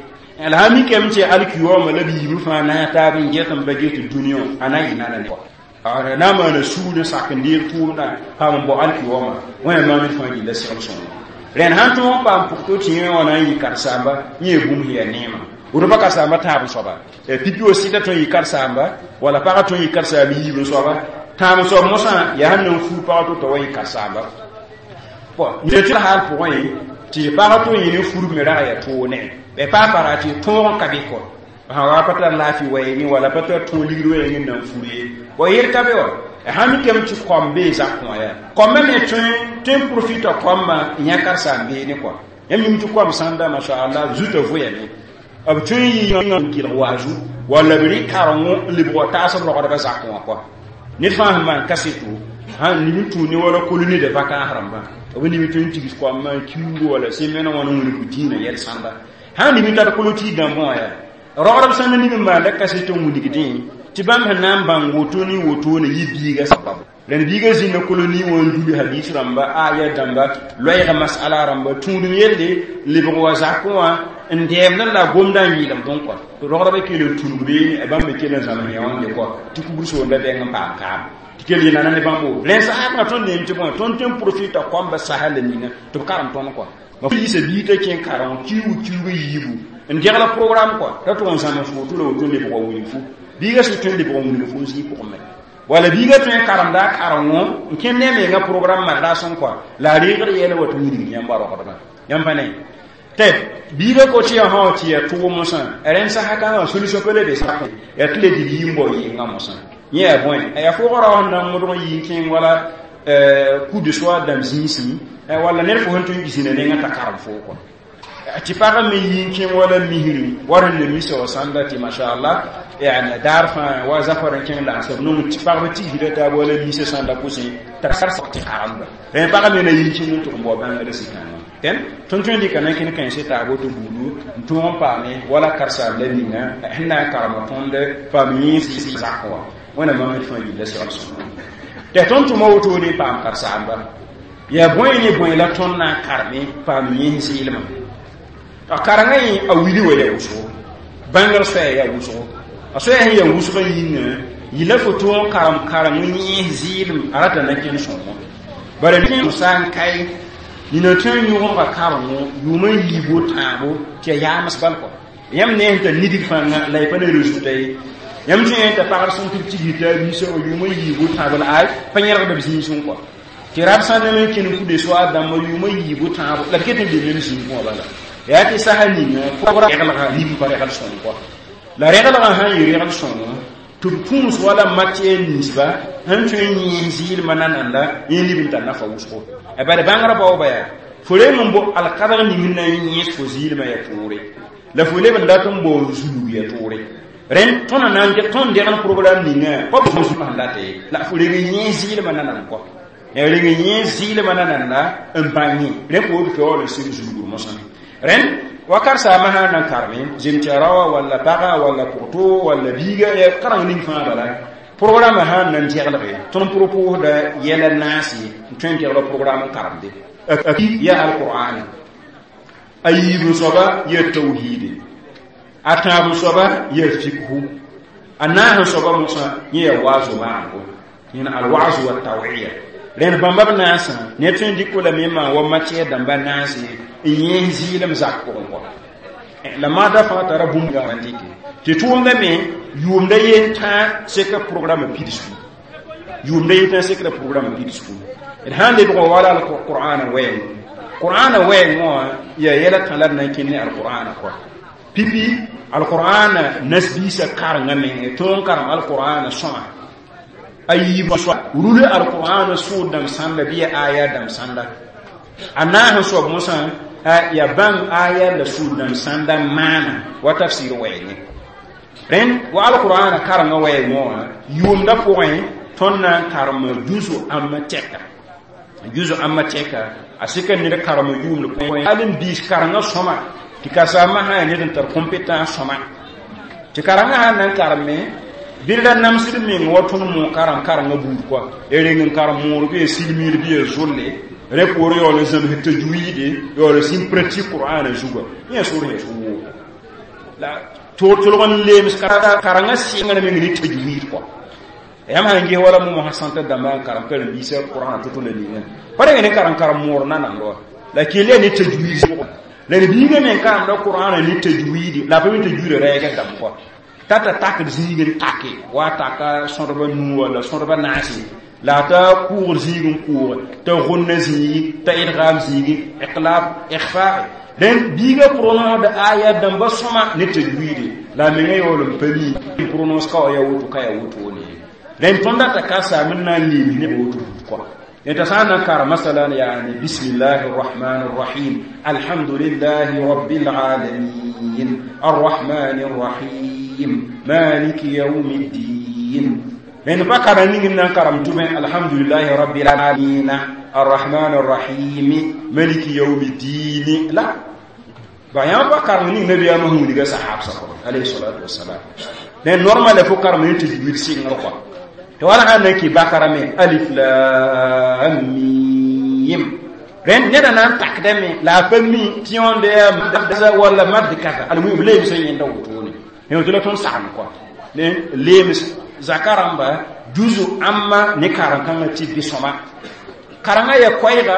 la sã mikame tɩ alkiyooma la b yiib fãa na n taab n get n ba get dũni wã a na n yɩ nana ne na n maana sugr n sak n deeg tʋʋmdã paam n bao alkiyooma wã yaa maam d fãa gilla segl sõngo rẽnd sãn tõog n paam pʋgtɔ tɩ yẽ wã na n yɩ karsaamba yẽ yaa bũmb sẽn yaa neema woto pa karsaamba tãab n soaba pipi wa sɩda tõe n yɩ karsaamba wala pagã tõe n yɩ karsaamba yiib n soaba tãab n soab mosã yaa sẽn na n fuug pagã to t'a wa yɩ karsaamba tɩ haal pʋgẽ tɩ pagã tõe n yɩ ne furb me rag yaa toog ne pa para tɩ tõog n ka be kɔ sã wa pa tar laafɩ wɛɛngẽ wala pa tar tõog ligd wɛɛngẽ n na n fur ye wa yel ka be wa sã mikame tɩ kom bee zak wã yaa kombã me tõe n profita kombã n yã karsaam beene kɔa yãmb mim tɩ kom sãnda mashallah zuta voyame b tõe n yɩ n kelg waazu walla b rɩ karengo n lebg wa taas b rogdbã zak wã kɔa ned fãa sẽn maan kaseto sãn nib n tũud ne wala colonie de vacances rãmbã b nib tõe n tigs koambã n kiuugo wala semaine wã n wilg dĩinã yɛl sãnda sãn nib n tar koloti dãmbã wã yaa rogdb sãn nib n maanda kaseto n wilgdẽ tɩ bãmb sẽn na n bãng woto ne woto ne yɩ biiga sababu rẽnd biiga zĩnda koloni wã n duli hadis rãmba aya dãmba loɛɛga masala rãmba tũudum yelle lebg wa zakẽ wã n dɛɛmdẽ la gomdã n yɩɩlemdẽ kɔa rogdbã kell n tũnug beene bãmb me kell n zãms yã wãnde kɔa tɩ kugr soonda bɛng n paam kaam tɩ kell yɩ nana ne bãmbo rẽn saasgã tõnd neem tɩ bõe tõnd tõe n profita koambã sasa la ninga tɩ b karem tõnd kɔa ma yiisa bii t'a kẽ kareng kiuug kiuug yiibu n degla programme kɔa t'a tʋg n zãms woto la woto lebg wa wilg fu biiga sẽn tõe n lebg n wilg fo n zĩig pʋgẽ me wala biiga tõe n karemda a karengo n kẽnd ne a menga programme marda sõn kɔa la a reegd yɛla wa tɩ wilg yãmba rogdbã yãmb pa ne tɩ biiga ko tɩ yaa sã tɩ yaa tʋg mosã rẽnd sasa kãngã solution pa le be sak yaa tɩ le dɩl yɩ n bao yɩɩngã mosã yẽ yaa bõe yaa fʋʋgã rao sẽn na n modg n yɩ n kẽng wala coup de soir dãmb zĩisẽ walla ned fo sẽn tõe n zĩna nengã t'a karem foo kɔa tɩ pagã me yɩ n kẽng wala misrẽ wa rẽnd na misa wa sãnda tɩ mashallah yani daar fãa wa zafar n kẽng lagsb nong tɩ pagb tigsda taab wala misa sãnda kʋsẽ t'a sar tɩ karemba rẽ pagã me na yɩ n kẽng n tʋg n bao bãngrã sɩkãngã tẽn tõnd tõe n dɩka na n kẽnd kãense taab woto buudu n tõog n paame wala karsaam la ninga sẽn na n karem tõnd paam yẽ zak wã wẽna mam d fãa yilla segl sõma tɩ tõnd tʋma wotone n paam karsaamba yaa bõe ne bõe la tõnd na n kareme paam yẽs zɩɩlmã a karengã yẽ a wili wa yaa wʋsgo bãngr soɛɛ yaa wʋsgo a soɛɛ sẽn yaa wʋsgã yĩnga yɩla fo tõog n karem kareng yẽs zɩɩlem a rata na kẽnd sõngo bara ne sã n kae nina tõe n yõgemga karengo yʋʋmã yiibo tãabo tɩ yaa yaams bal kɔ yãmb ne sẽn tar nidg fãnga la y pa ne résultat ye yãmb tõe n t'a pagd sẽn tɩ b tigr t'a biisã wa yʋʋmã yiibo tãabo la ay pa yẽlgda b zĩisẽ kɔ tɩ rab sãn na n kẽnd kude soa dãmba yʋʋmã yiibo tãabo la b ket n be mem zĩig wã bala yaa tɩ sasa ninga pʋgra reglga nib pa regl sõng kɔ la reglgã sãn yɩ regl sõngo tɩ b pũus wala matière ninsba sẽn tõe n yẽes zɩɩlmã nananda yẽ nib n tar nafa wʋsgo bala bãngrã baooba yaa fo reng n bo alkadg ning n na n yẽes fo zɩɩlmã yaa toore la fo leb n dat n bao n zulg yaa toore rẽnd tõnd na n tõnd degn programme ninga pa b sẽn data ye la fo reng n yẽes zɩɩlmã nanand kɔ reng n yẽes zɩɩlmã nananda n bãng yẽ rẽ poor tɩ waool n sɩng zulgr mosã rẽnd wa karsaamã sã n na n kareme zemtɩ raoã walla pagã walla pʋgto walla biiga kareng ning fãa bala Programme sãn na n dɛglge tõnd propos-da yɛla naase n tõe n dɛgla programme n karemde yaa alqur'ana a yiib soaba yaa tawhiide a tãab soaba yaa fikhu a naas soaba mosã yẽ yaa waazu maango yẽna alwazu wa tawiya rẽnd bãmba b naasã ne tõe n dɩk lame n maan wa matière dãmba naase n yẽes zɩɩlem zak pʋgẽ kɔa la maada fãa tara bũmb n dɩke tɩ tʋʋmda me yʋʋmda yen tã seka programme pidsgu yʋʋmda yen tã sekra programme pidsgu d sãn lebg wala alqur'ana wɛɛng qur'ana wɛɛng wã yaa yɛla tã la d na n kẽnd ne alqur'ana kɔa pipi alqur'ana nasbiisã karengã menge tõog n karem alqur'ana sõma a yiib rul alqur'ana sʋʋd dãmb sãnda bɩ ya aya dãmb sãnda a naas n soab mosã ya bãng aya la sʋʋd dãmb sãnda maana wa tafsir wɛɛngẽ rẽnd wa alqur'ana karengã wɛɛngẽ wã yʋʋmda pʋgẽ tõnd na n karem juzu ãmba tɛka juzu ãmba tɛka a sɩka ned karem yʋʋmd pʋgẽ hal n biis karengã sõma tɩ kasaamã sã yaa ned n tar compétence sõma tɩ karengã sãn na n kareme bɩ ra namsd meng wa tõnd moog karem karengã buud kɔa y reng n karem moor bɩ ya silmiir bɩ ya zolle rẽ poor yaool n zãms tajwiide yaool n sĩn pratique qur'ana zuga yẽ sor yẽ woo la tolg n leems karengã sɩngr meng ne tajwiid kɔa yãmb sãn ges wala mo sã sãntã dãmbã n karem karen-biisã qur'ana to-to la ningã pa reng ne karem karem moor nanamd wa la kell yaa ne tajwiid la d biigã me n karemda qur'ana ne tajwiidi la a pa mi tajwiida rɛɛgã dãmb kɔa t'a ta takd zĩig n take wa taka sõdba nuu walla sõdba naase la a ta kʋʋgd zĩig n kʋʋge t'a gõnna zĩigi t'a idgaam zĩigi iqlab ikhfae rẽnd biigã prononce aya dãmba sõma ne tajwiide la a menga yaool n pa mi prononce ka wa ya woto ka ya wotone rẽnd tõnd data ka saam n na n leem ne woto kɔa انت سانا كار مثلا يعني بسم الله الرحمن الرحيم الحمد لله رب العالمين الرحمن الرحيم مالك يوم الدين من بكر نين كرم الحمد لله رب العالمين الرحمن الرحيم مالك يوم الدين لا بيان بكر نين نبي محمد صحاب عليه الصلاة والسلام لأن normal فكر من تجويد سين رقم tɩ wala sãn na n kɩ bakara me alif lam mim rẽnd neda na n takdame la a pa mi tɩ yõnd yaa walla mad kasa almuhim leemsã yẽnda wotone tɩ la tõnd sagem kɔa leems zaka rãmba juzu ãmba ne karen-kãngã tɩ bɩ sõma karengã ya koɛɛga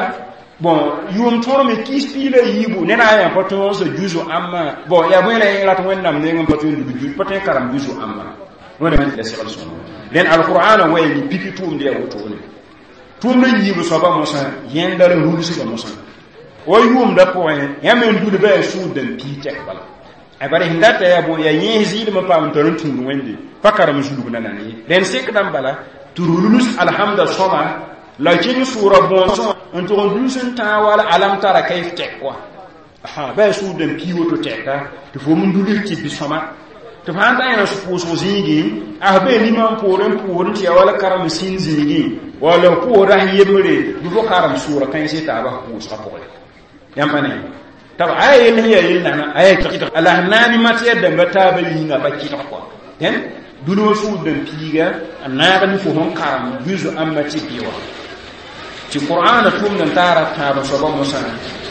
bon yʋʋm tõor me kiis piig la yiibu ned na n yaa pa tõog juzu ãmba bon yaa bõe la rat wẽnnaam neng n pa tõe n lug pa tõe n karem juzu ãmba wẽnnaam la segl sõma rẽnd alqur'ana wɛɛ ni piki tʋʋmd yaa wotone tʋʋmd n yiib soaba mosã yẽnda la rulsga mosã wa yʋʋmda pʋgẽ yãmb n dulba yaa sũur dãn pii tɛk bala bare sẽn data yaa bõ yaa yẽes zɩɩlem n paam n tar n tũud wẽnde pa karem zulg nanana ye rẽnd sekdã n bala tɩ rulus alhamda sõma la kẽng sʋʋra bõos n tʋg n dulus n tãag wala alam tara kayf tɛk wa ba yaa sũur dãn pii woto tɛka tɩ fo m dulus tɩ bɩ sõma tɩ fãa ta yẽna pʋʋsg zĩigẽ as bee limã n poor n pʋʋsd n tɩ yaa wala karem sĩn zĩigẽ walla f pʋʋsda s yembre bɩ fo karem sʋʋra kãens taaba f pʋʋsgã pʋgẽ yãmb pa ne t'a b aya yell sẽn yaa yell nana aya kɩdg la sẽn naane matière dãmba taabã yĩnga pa kɩdg kɔa dẽn dũniyã sũur dãn piiga n naag ne fo sẽn karem juzu ãmba tɩ bɩ wã tɩ qur'ana tʋʋmd n taara tãab soaba mosã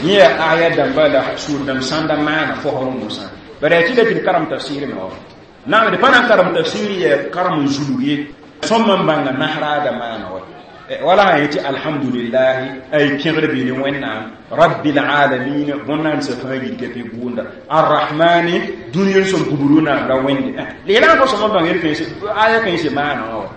yẽ yaa aya dãmba la sũur dãmb sãnda maana fosr mosã bara yaa tɩ la tɩ d karem tafsir me wa naam d pa na n karem tafsir yaa karem n zulg ye sõm n bãnga nasraada maana wa wala sã yetɩ alhamdulillahi ay pẽgr bɩ ne wẽnnaam rabbil alamin bõn-naandsã fãa yidga bɩ gʋʋnda arrahmani dũniyã sẽn gubru naam ra wẽnde leelã fo sõma bãng aya kãense maana wã wa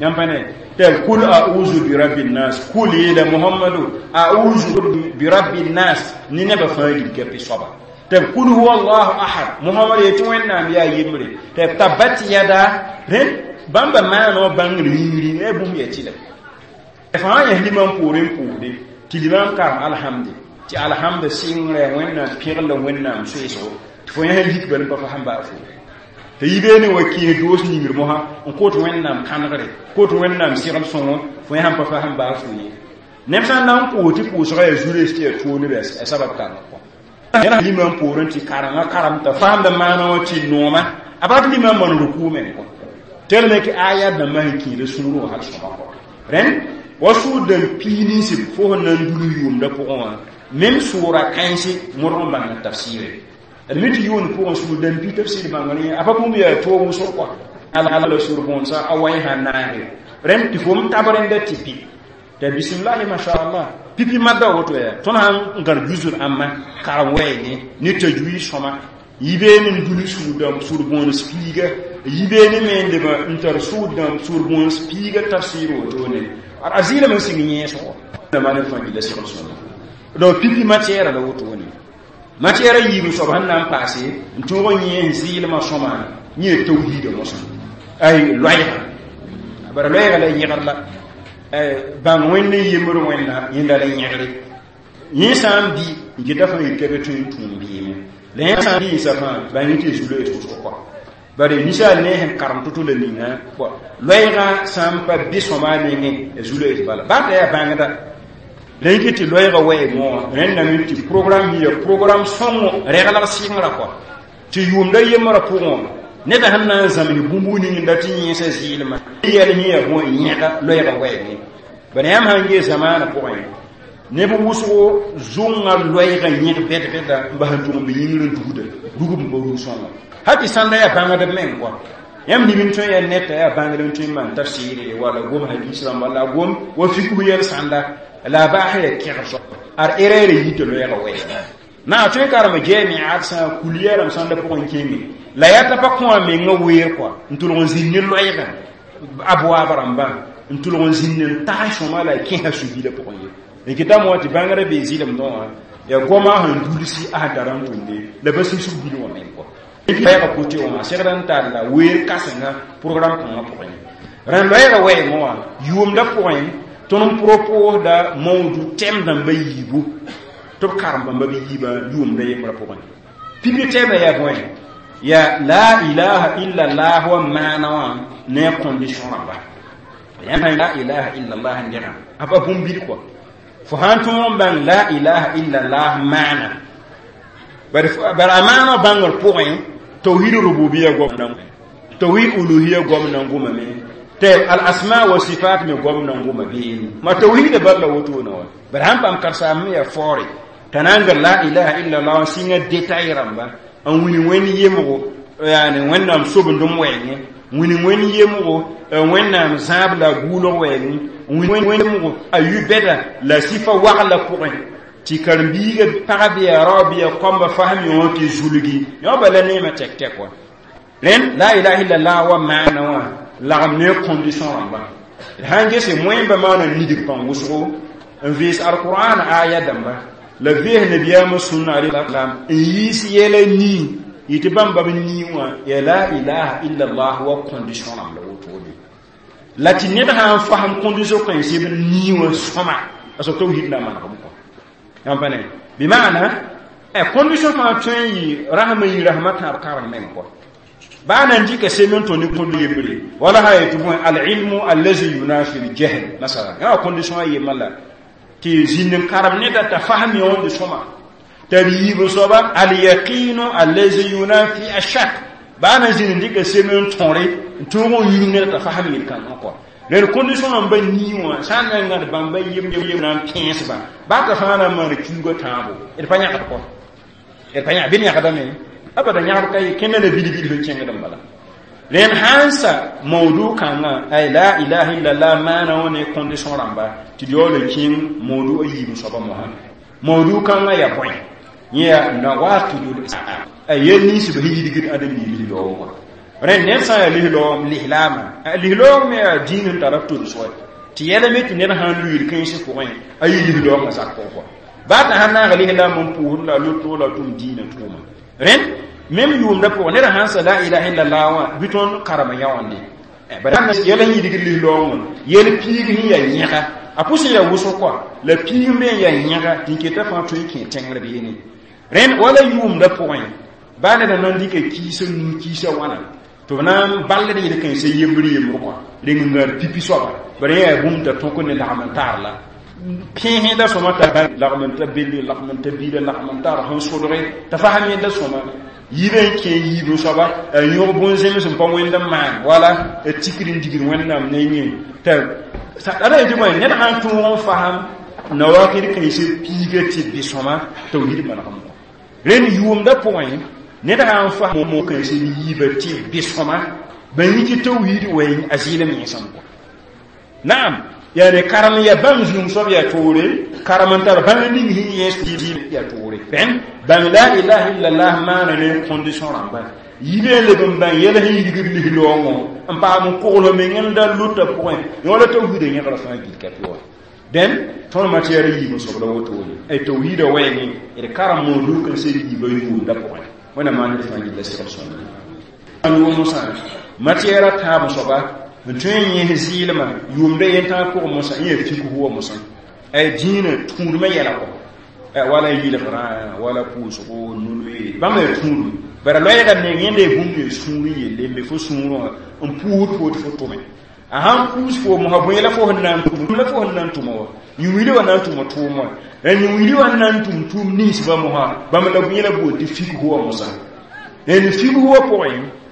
yãmb pa ne tɩ kul a'uzu bi rabbi nnas kul yeela muhammadu a'uzu bi rabbi nnas ne nebã fãa yidga bɩ soaba tɩ kul huwa allahu ahad muhammad yetɩ wẽnnaam yaa yembre tɩ tabbat yada rẽnd bãmba maana wã bãngr yĩngri a bũmb yaa tɩlem fãa yãs limam poorẽ n pʋʋsde tɩ limam karem alhamde tɩ alhamda sɩngrã wẽnnaam pẽgl la wẽnnaam soeesgo tɩ fo yãs lik bal n pa fa sẽn baa fo tɩ yi beene wa kẽes doos ningr mosã n kot wẽnnaam kãnegre kot wẽnnaam segl sõngo fo yãs n pa fa sẽn baa fo ye neb sã n na n pʋʋs tɩ pʋʋsgã yaa zu-rees tɩ yaa tooneb yaa sabab kãngã kɔ yẽna limam poorẽ tɩ karengã karem t'a faamda maana wã tɩ nooma a bat limam man rukuu meng kɔ Tellement que aya dãmbã sẽn kẽeda sũurẽ wã hal sõma kɔ rẽnd wa sʋʋd dãmb piig nins fo sẽn na n dul yʋʋmdã pʋgẽ wã même sʋʋra kãense modg n bãng tafsɩɩre d mi tɩ yʋʋnd pʋgẽ sũur dãmb piig tafsɩɩr bãngr a pa bũmb yaa toog wʋsg kɔa ala la sũur bõonsa a wa sã naage rẽnd tɩ fo m tab rẽnda tɩ pi t'a bismillahi mashallah pipi madda woto ya tõnd sãn n gãd jusr ãmba karem wɛɛngẽ ne tajwid sõma yi beene n dul sũur dãmb sũur bõones piiga yi beene me n leb n tar sũur dãmb sũur bõones piiga tafsɩɩr wotone a zɩɩlame n sɩng yẽesgo la maan fãa gilla segl sõma donc pipi matière la wotone matière yiib soab sẽn na n paase n tõog n yẽ n zɩɩlmã sõma yẽ tawhiida mosã ay loɛɛga bara loɛɛga la yẽgr la bãng wẽnd n yembr wẽnna yẽnda la yẽgre yẽ sã n bɩ n geta fãa yik ka be tõe n tũum bɩɩme la yẽ sã n rɩɩsa fãa bãng yẽ tɩ zu-loees wʋsg kɔa bare ninsaal ne sẽn karem to-to la ninga loɛɛga sã n pa bɩ sõma a nengẽ a zu-loees bala baa t'a yaa bãngda la yẽ tɩ loɛɛga wɛɛngẽ wã rẽndame tɩ programme ya programme sõngo reglg sɩngrã kɔa tɩ yʋʋmda yembrã pʋgẽ wã neda sẽn na n zãmsd bũmb ning n dat n yẽesa zɩɩlmã yɛl sẽn yaa bõe yẽga loɛɛga wɛɛngẽ bala yãmb sãn gee zamaanã pʋgẽ neb wʋsgo zʋngã loɛɛga yẽg bɛd-bɛda n bas n tʋg n be yĩngr n dugda rugb n pa rug sõnga hal tɩ sãnda yaa bãngdb meng kɔa yãmb nib n tõe yaa neta yaa bãngd n tõe n maan tafsɩɩre wala gom hadis rãmba la gom wa fikb yɛl sãnda la a baas yaa kẽgb soab ad erreur yita loɛɛga wɛɛga na a tõe karem jamiat sã kuliya rãmb sãnda pʋgẽ kẽeme la yaa t'a pa kõ a menga weer kɔa n tʋlg n zĩnd ne loɛɛgã abwaab rãmbã n tʋlg n zĩnd n tags sõma la a kẽsa su-bilã pʋgẽ ye n kɩtame wã tɩ bãngrã bee zɩlemdẽ wã yaa goamã sẽn dulsi a sẽn tara n tʋmde la pa sɩsg bil wã meng kɔa loɛɛga kote wã a segd n talla weer kãsenga programme kãngã pʋgẽ rẽnd loɛɛga wɛɛngẽ wã yʋʋmdã pʋgẽ tõnd n proposda mawdu tɛm dãmba yiibu tɩ b karem bãmba b yiibã yʋʋmda yembrã pʋgẽ pipi tɛɛmã yaa bõe yaa la ilaha illallah wa maana wã ne a condition rãmba yãmb la ilaha illallah n dẽga a pa bũmb bil kɔa fo sãn tõog n bãng la ilaha illallah maana bara a maana bãngr pʋgẽ tawhid rububiya goam tawhid uluhiya goam nan gʋmame tɩ al asma wa sifat me goam nan gʋma beene ma tawhida bal la wotone wa bara sãn paam karsaam me yaa faoore t'a na n ger la ilaha illallah n sɩnga détail rãmba n wilg wẽnd yemgo yaani wẽnnaam sobendem wɛɛngẽ wilg wẽnd yemgo wẽnnaam zãab la guulg wɛɛngẽ wẽnd yemgo a yʋ bɛda la sɩfa wagla pʋgẽ tɩ karen-biiga pag bɩ yaa rao bɩ yaa kɔmba fasem yõ tɩ zulgi yõ bala neemã tɛk-tɛk wa rẽnd la ilaha illallah wa maana wã lagem ne condition rãmba d sãn gese moẽmba maana nidg pãng wʋsgo n vees alqur'an aya dãmba la vees nabiyaamã sũnna alayhi n yiis yɛla nii yɩ tɩ bãmba b nii wã yaa la ilaha illallah wa condition rãmb la wotone la tɩ ned sã n fasem condition kãenseb nii wã sõma a soab tawhid na manegem kɔ yãmb pa ne bɩ maana condition fãa tõe n yɩ rasmã yɩ rasmã tãab kareng meng kɔ baa nan dɩka sem n tõ ne kõd yembre wala sã yetɩ bõe alilmu allazi yunafi ljahl masala yã condition a yemma la tɩ zĩnd n karem neda t'a fasem yõonde sõma t'a b yiib soaba alyaqinu allazi yunafi ashak baa na zĩnd n dɩka sem n tõre n tõog n yũng neda t'a fasem yel-kãngã kɔ rẽd condition rãmba nii wã sã n na n gãd bãmba yem yem na n pẽesba baa t'a fãa na n maan kiuugã tãabo d pa yãgd kɔ d pa yãg bɩ d yãgdame abada yãgd ka ye kẽnda la bilbil sẽn kẽngd n bala rẽnd sãn sa mawdu kãngã ay la ilaha illallah maana wã ne condition rãmba tɩ d yaool n kẽng mawdu a yiib soaba mosã mawdu kãngã yaa bõe yẽ yaa nawaqidul a yel nins b sẽn yidgd ãdem-biig lislaoogã rẽnd ned sã n yaa lislaoog lislaamã lislaoog me yaa dĩin sẽn tara tol-soɛ tɩ yɛla me tɩ ned sãn luyl kãensẽ pʋgẽ a yɩ lislaoogã zak pʋgẽ kɔ baa t'a sãn naag lislaam n pʋʋsd la a loto la tʋm dĩinã tʋʋma rẽnd même yʋʋmda pʋgẽ ned sãn sa la ilaha illallah wã bɩ tõnd karem yãonde bara yɛl sẽn yidgd lislaoog wã yɛl piig sẽn yaa yẽga a pʋs n yaa wʋsg kɔa la piig me n yaa yẽga tɩ n keta fãa tõe n kẽ tẽngr beene rẽnd wala yʋʋmda pʋgẽ baa ned na n dɩka kiisã nuu kiisã wãna tɩ b na n bald yel kãensã yembr yembr kɔa reng n gãad pipi soaba bara yẽ yaa bũmb t'a tõk ne lagm n taar la pẽesẽda sõma t'a lagm n ta belle lagm n ta bila lagm n tar sẽn sodge t'a fasem yẽnda sõma yiibã n kẽ yiib soaba a yõg bõn-zems n pa wẽnd n maan wala a tikr n digd wẽnnaam nengẽ t'a ada yetɩ bõe ned sãn tõog n fasem nawakɩd kãensã piiga tɩ bɩ-sõma tawhid manegem kɔ rẽnd yʋʋmdã pʋgẽ ned sãn fasem mo kãensã yiibã tɩ bɩ-sõma bãn yĩ tɩ tawhid wɛɛng a zɩɩlem yẽsem kɔ naam yani karem ya bãmb zũum soab yaa toore karem n tar bãng ning sẽn yẽs yaa toore bẽn bãng la ilaha illallah maana ne condition rãmba yibe n leb n bãng yɛl sẽn yirgd lis-loongõ n paam n kogl meng n da lʋta pʋgẽ yõ la tawhiidã yẽgra fãa gil ka pɩ wa dẽn tõnd matiɛɛr yiib n soab la wotone tawhiidã wɛɛngẽ d karem moodug n sed yiibã yʋʋmda pʋgẽ wẽnnaam maan d fãa gilla segl sõmb mosã matiɛɛrã tãab soaba n tõe n yẽs zɩɩlmã yʋʋmda yentãag pʋgẽ mosã yẽ yaa fikg wa mosã ay dĩinã tũudmã yɛla kɔ wala yɩlgrã wala pʋʋsgo nulwe bãmb yaa tũudum bara loɛɛga meng yẽnda yaa bũmb yaa sũur n yelle n be fo sũurẽ wã n puusd fo tɩ fo tʋme a sãn puus fo mosã bõe la fo sẽn na n tʋm la fo sẽn na n tʋma wa yũ-wilã wa na n tʋma tʋʋm wã la yũ-wilã wa n na n tʋm tʋʋm ninsbã mosã bãmb la yẽ la boond tɩ fikg wa mosã n fikg wã pʋgẽ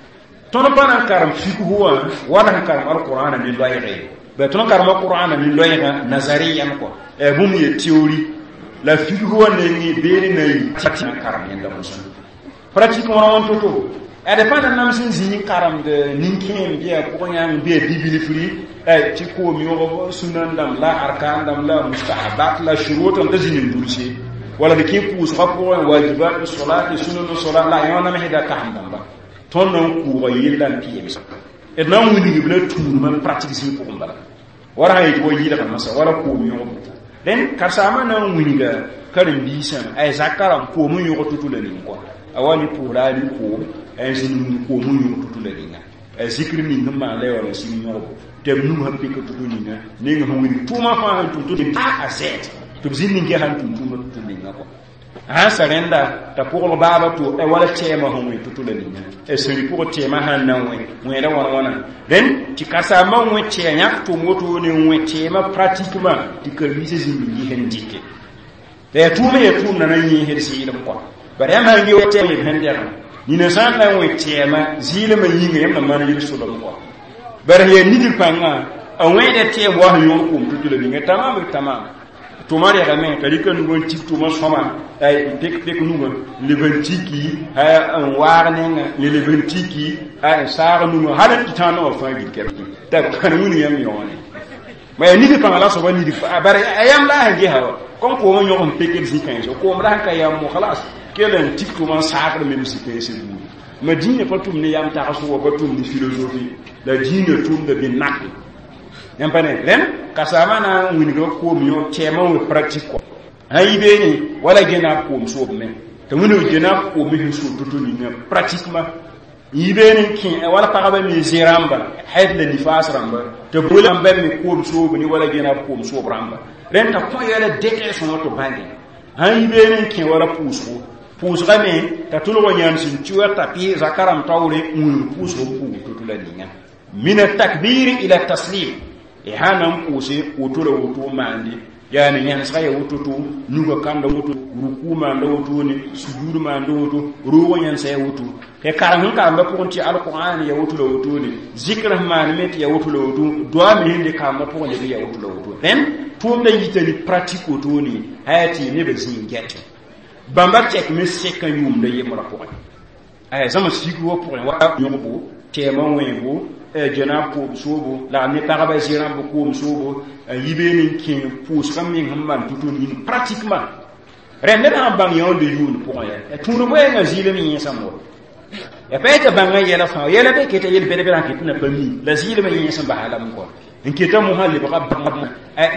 tõnd pa na n karem fikg wã wala sẽn karem alqur'ana ne loɛɛge ba tõnd karema qur'ana ne loɛɛgã nazariyan kɔ bũmb ye théorie la fikg wã nengẽ beene na yi tɩ na karem yẽnda mosã pratique wã wãn to-to ad pa na nams n zĩ n karemd nin-kẽem bɩa pʋgẽ yãng bɩa bibilfri tɩ koom yõgb sunan dãmb la arkan dãmb la mustahabat la shurut n ta zĩnd n dulse wala d kẽ pʋʋsgã pʋgẽ wajibat solat sunan solat la yõ namsda kasem dãmba tõnd na n kʋʋga yella n pɩɩms d na n wilgb la tũudmã pratique zĩig pʋgẽ bala wala sã yetɩ wa yɩlga masã wala koom yõgb dẽn karsaamã na n wilga karen-biisã ay zakã rãmb koom n yõg tutu la ning kɔ a wa ne pʋʋsra a ne koom a zĩnd n koom n yõg tutu la ninga a zikr ning sẽn maan la ya wala sɩng yõgbo tɩ b nug sẽn pɩk tutu ninga neng sẽn wilg tʋʋmã fãa sẽn tʋm tɩ a a z tɩ b zĩnd n ges sẽn tʋm tʋʋmã tutu ninga kɔ sãn sa rẽnda t'a pʋgl baaba to wala tɛɛmã sẽn wẽ tutu la ninga a sẽri pʋgẽ tɛɛmã sãn na n wẽ wẽeda wãn wãna rẽnd tɩ karsaambã wẽ tɛɛ yãk tʋm wotone n wẽ tɛɛmã pratiquement tɩ karen-biisã zĩnd n yɩs n dɩke la yaa tʋʋmã yaa tʋʋm na na n yẽesd zɩɩlem kɔ bara yãmb sãn ge tɛɛm b sẽn dɛgã nina sã n na n wẽ tɛɛmã zɩɩlmã yĩnga yãmb na maan yel-solem kɔ bara yaa nigr pãngã a wẽeda tɛɛm wa sẽn yõgd koom tutu la ninga tamam tamam tʋma rɛgame t'a rɩka nugã n tik tʋma sõma n pek pek nugã n leb n tiki n waag nenga n leb n tiki n saag nugã hal n tɩ tãag naoã fãa gil kɛp t'a kãn wĩnu yãmb yõone ma yaa nigr pãngã la soaba nigr bara a yãmb la sẽn gesa wa kom koomã yõg n pekd zĩ-kãensã koom la sẽn ka yam mo khalas kell n tik tʋma n saagd mem zĩ-kãensã buudi ma dĩinã pa tʋm ne yam tagsg wa pa tʋm ne philosophie la dĩinã tʋmda bɩ nak yãmb pa ne rẽnd kasaamã na n wilga koom yõ tɛɛmã wẽ pratique kɔ sã yi beene wala gena koom soob me t'a wĩng gena koom sẽn sood to-to ninga pratiquement yi beene n kẽ wala pagba me zẽ rãmba haid la nifas rãmba tɩ boolãmba me koom soob ne wala gena koom soob rãmba rẽnd t'a kõ yɛla dɛtɛ sõma tɩ bãnge sãn yi beene n kẽ wala pʋʋsgo pʋʋsga me t'a tʋlg yãnd sẽn tɩ tapi zaka rãmb taoore n wilg pʋʋsg pʋʋg to-to la ninga min atakbir ila taslim y sã na n pʋʋse woto la woto maande yaani yẽnesga ya woto-to nuga kanda woto ruku maanda wotone sujud maanda woto roogã yẽnsa ya woto tɩ karem sẽn karemba pʋgẽ tɩ alqur'an ya woto la wotone zikr sẽn maan me tɩ ya woto la woto doa me sẽn de karembã pʋgẽ leb ya woto la woto rẽnd tʋʋmda yita ne pratique wotone haya tɩ nebã zĩig n gɛtẽ bãmba tɛkme sɛkã yʋʋmda yembrã pʋgẽ aya zãma sig wã pʋgẽ wa yõgbo tɛɛmã wẽebo jena koom soobo la ne pagba zĩ rãmb koom soobo n yi beene n kẽ pʋʋsgã meng sẽn maan tutu nin pratiquement rẽnd ned sãn bãng yãonde yʋʋnd pʋgẽ ya tũud boɛɛngã zɩɩlem yẽesame wa ya pa t'a bãngã yɛla fãa yɛla be keta yel bɛd-bɛdã ket na pa mi la zɩɩlmã yẽesem basa lame kɔ n keta mosã lebga bãmb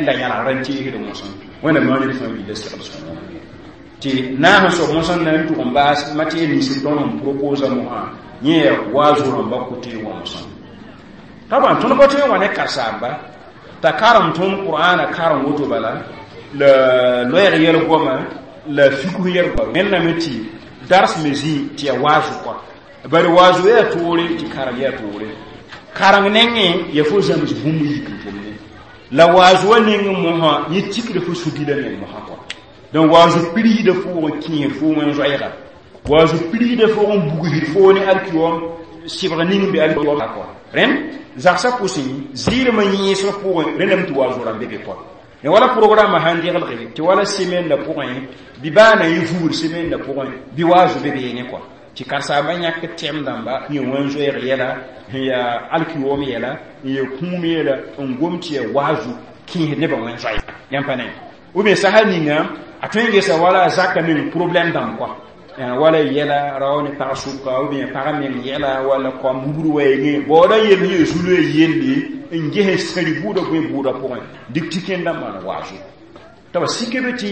la yãlgrã n teesd mosã wẽnnaam maan d fãa willa segl sõma tɩ naas n soab mosã na n tʋg n baas matière nins tõnd sẽn proposa mosã yẽ yaa waazo rãmba kote wã mosã taban tõnd pa tõe n wa ne karsaamba t'a karem tõnd qur'ana karem woto bala la loɛɛg yɛl goama la fikh yɛl goama wẽnnaame tɩ dars me zĩ tɩ yaa waazo kɔa bari waazo yaa toore tɩ karem yaa toore kareng nengẽ ya fo zãms bũmb yik n tʋmne la waazo wã neng mosã yẽ tikda fo sugila meng mosã kɔa donc waazo pirsda pʋgẽ kẽer fo wẽn zoɛɛga Waazu piligda fo n bugsd foo ne alkiyom sɩbg ning be alkiyom kɔ rẽnd zagsã pʋsẽ zɩɩlmã yẽesg pʋgẽ rẽndame tɩ waazu rãmb be be kɔ ne wala programme sãn deglge tɩ wala semaine la pʋgẽ bɩ baa na yẽ vugr semaine la pʋgẽ bɩ waazu be beene kɔ tɩ karen-saambã yãk tɛm dãmba n yẽ wẽn-zoɛɛg yɛla n yaa alkiyom yɛla n yaa kũum yɛla n gom tɩ yaa waazu kẽesd nebã wẽn-zoɛɛ yãmb pa ne ou bien sasa ninga a tõe n gesa wala a zaka meng problème dãmb kɔ wala yɛla rao ne pag sʋka ou bien pag meng yɛla wala kom wubr wɛɛngẽ baooda yel sẽn yaa zulã yelle n ges sẽri bʋʋda bõe bʋʋda pʋgẽ dɩk tɩ kẽndã maan waazu tɩ b sike be tɩ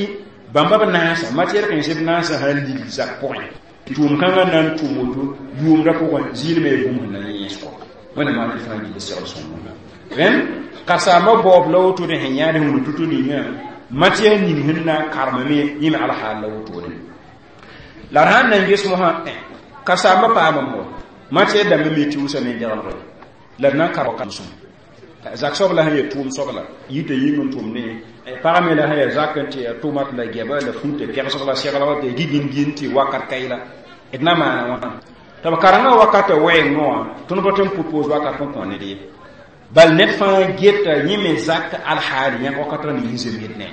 bãmba b naasa matière kãens b naasã sãn ligd zak pʋgẽ tʋʋm kãngã na n tʋm woto yʋʋmdã pʋgẽ zɩɩlmã yaa bũmb sẽn na yẽes kɔ wẽnnaam maan fãa gilli segl sõngo rẽnd karen-saambã baoob la wotone sẽn yãad wũnu tʋ-tʋ ninga matière ning sẽn na n karemame yẽ me alhaal la wotone la d sãn na n ges mosã karen-saambã paama mo matière dãmbã me tɩ wʋsame n degelge la d na n kar wakat sõm zak soab la sẽn yaa tʋʋm soabla yita yĩng n tʋm ne pag me la sẽn yaa zak n tɩ yaa tʋmat la gɛba la fũta pɛgsg la seglg tɩ gigin gin tɩ wakat kaɩla d na maana wãna tɩ b karengã wakatã wɛɛngẽ wã tõnd pa tõe n propose wakat n kõ ned ye bal ned fãa geta yẽ me zak alhaal yãk wakatã ning zemsd ne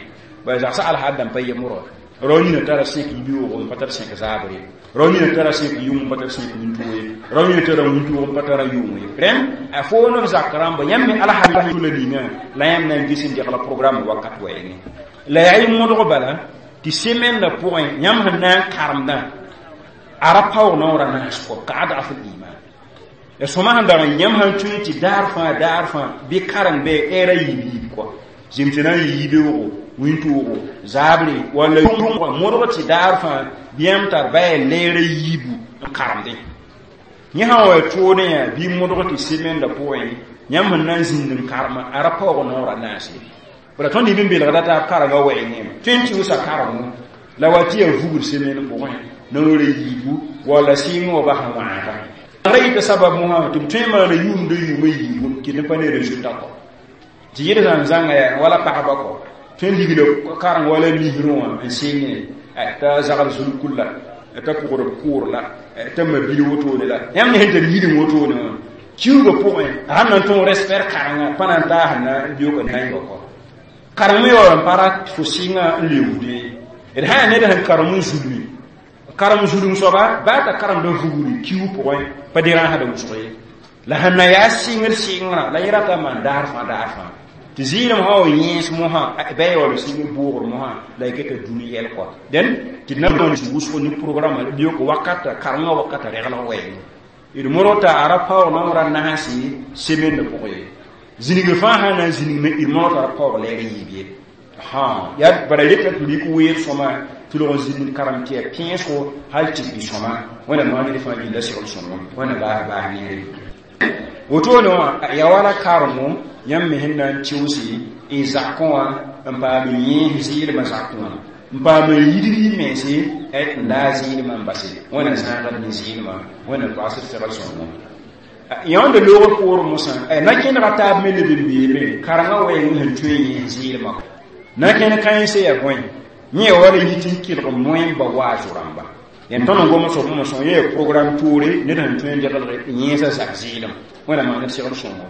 bala zagsã alhaal dãmb pa yembrã rao nina tara sẽk yibeoog n pa tar sẽk zaabre rao nina tara sẽk yʋng n pa tar sẽk wĩntoog ye rao nina tara wĩntoog n pa tara yʋng ye rẽnd a foon b zak rãmba yãmb me alhaal la ninga la yãmb na n ges n degla programme wakat wɛɛngẽ la yaa y modg bala tɩ semaine la pʋgẽ yãmb sẽn na n karemdã a ra paoog naoora naas kɔ ka adaf l-iman ya sõma sẽn dag n yãmb sãn tõe tɩ daar fãa daar fãa bɩ kareng bɩ ɛɛra yiib yiib kɔ zem tɩ na n yɩ yibeoogo wĩntoogo zaabre walla modg tɩ daar fãa bɩ yãmb tar ba yaa leera yiibu n karemdẽ yẽ sã n wa toodẽ yaa bɩ modg tɩ semaine la pʋgẽ yãmb sẽn na n zĩnd n karema a ra paoog naoora naase bala tõnd neb n belgda taab karengã wɛɛngẽ tõe n tɩ wʋsa karengo la wa tɩ yaa vugr semaine pʋgẽ naoora yiibu walla sɩɩng wa bas n wãaga ra yɩta sabab mosã tɩ b tõe n maana yʋʋmda yʋʋmã yiibu tɩ d pa ne résultat kɔ tɩ yɩd sãn zãnga yaa wala pagba kɔ tõe n ligla kareng wala misrẽ wã n sɩngẽ t'a zagl zulkul la t'a pʋgd b kʋʋr la t'a ma bil wotone la yãmb ne sẽn tar yidẽ wotone wã kiuugã pʋgẽ a sãn na n tõog respect karengã pa na n taas na n beoog n nañga kɔ kareng me yaool n pa rat fo sɩngã n leoogde d sã yaa ned sẽn karem n zulme karem zulum soaba baa t'a karemda vugri kiuug pʋgẽ pa derãasda wʋsg ye la sẽn na yaa sɩngr sɩngrã la yẽ rata n maan daar fãa daar fãa tɩ zɩɩlem sã wa yẽes mosã ba yaool sɩngr boogr mosã la y keta dũni yɛl kɔ dẽn tɩ d na n wʋsg ne programme beoog wakata karengã wakata reglg wɛɛngẽ d modg t'a a ra paoog naoora naase semaine pʋgẽ ye zĩnigr fãa sã na n zĩnigme d modg t'a ra paoog lɛɛr yiib ye yaa bara reta tɩ rɩk weer sõma tɩ log n zĩnd karem tɩ yaa pẽesgo hal tɩ bɩ sõma wẽnnaam maan ned fãa gilla segl sõngo wẽnna baas baas neere wotone wã yaa wala karengo yãmb me sẽn na n tɩʋse n zakẽ wã n paam n yẽes zɩɩlmã zakẽ wã n paam n yidg y mense n la zɩɩlmã n base wẽnna zãagd ne zɩɩlmã wẽnnaam toagsd segl sõngo yãonda loogr poorẽ mosã na kẽnega taab me leb n beeme karengã wɛɛng sẽn tõe n yẽes zɩɩlmã na kẽn kãense yaa bõe yẽ ya wala yit n kelg moẽmba waazo rãmba yãn tõnd n gom soab mosã yẽ yaa programme toore ned sẽn tõe n degelg yẽesa zak zɩɩlem wẽnnaam maan d segl sõngo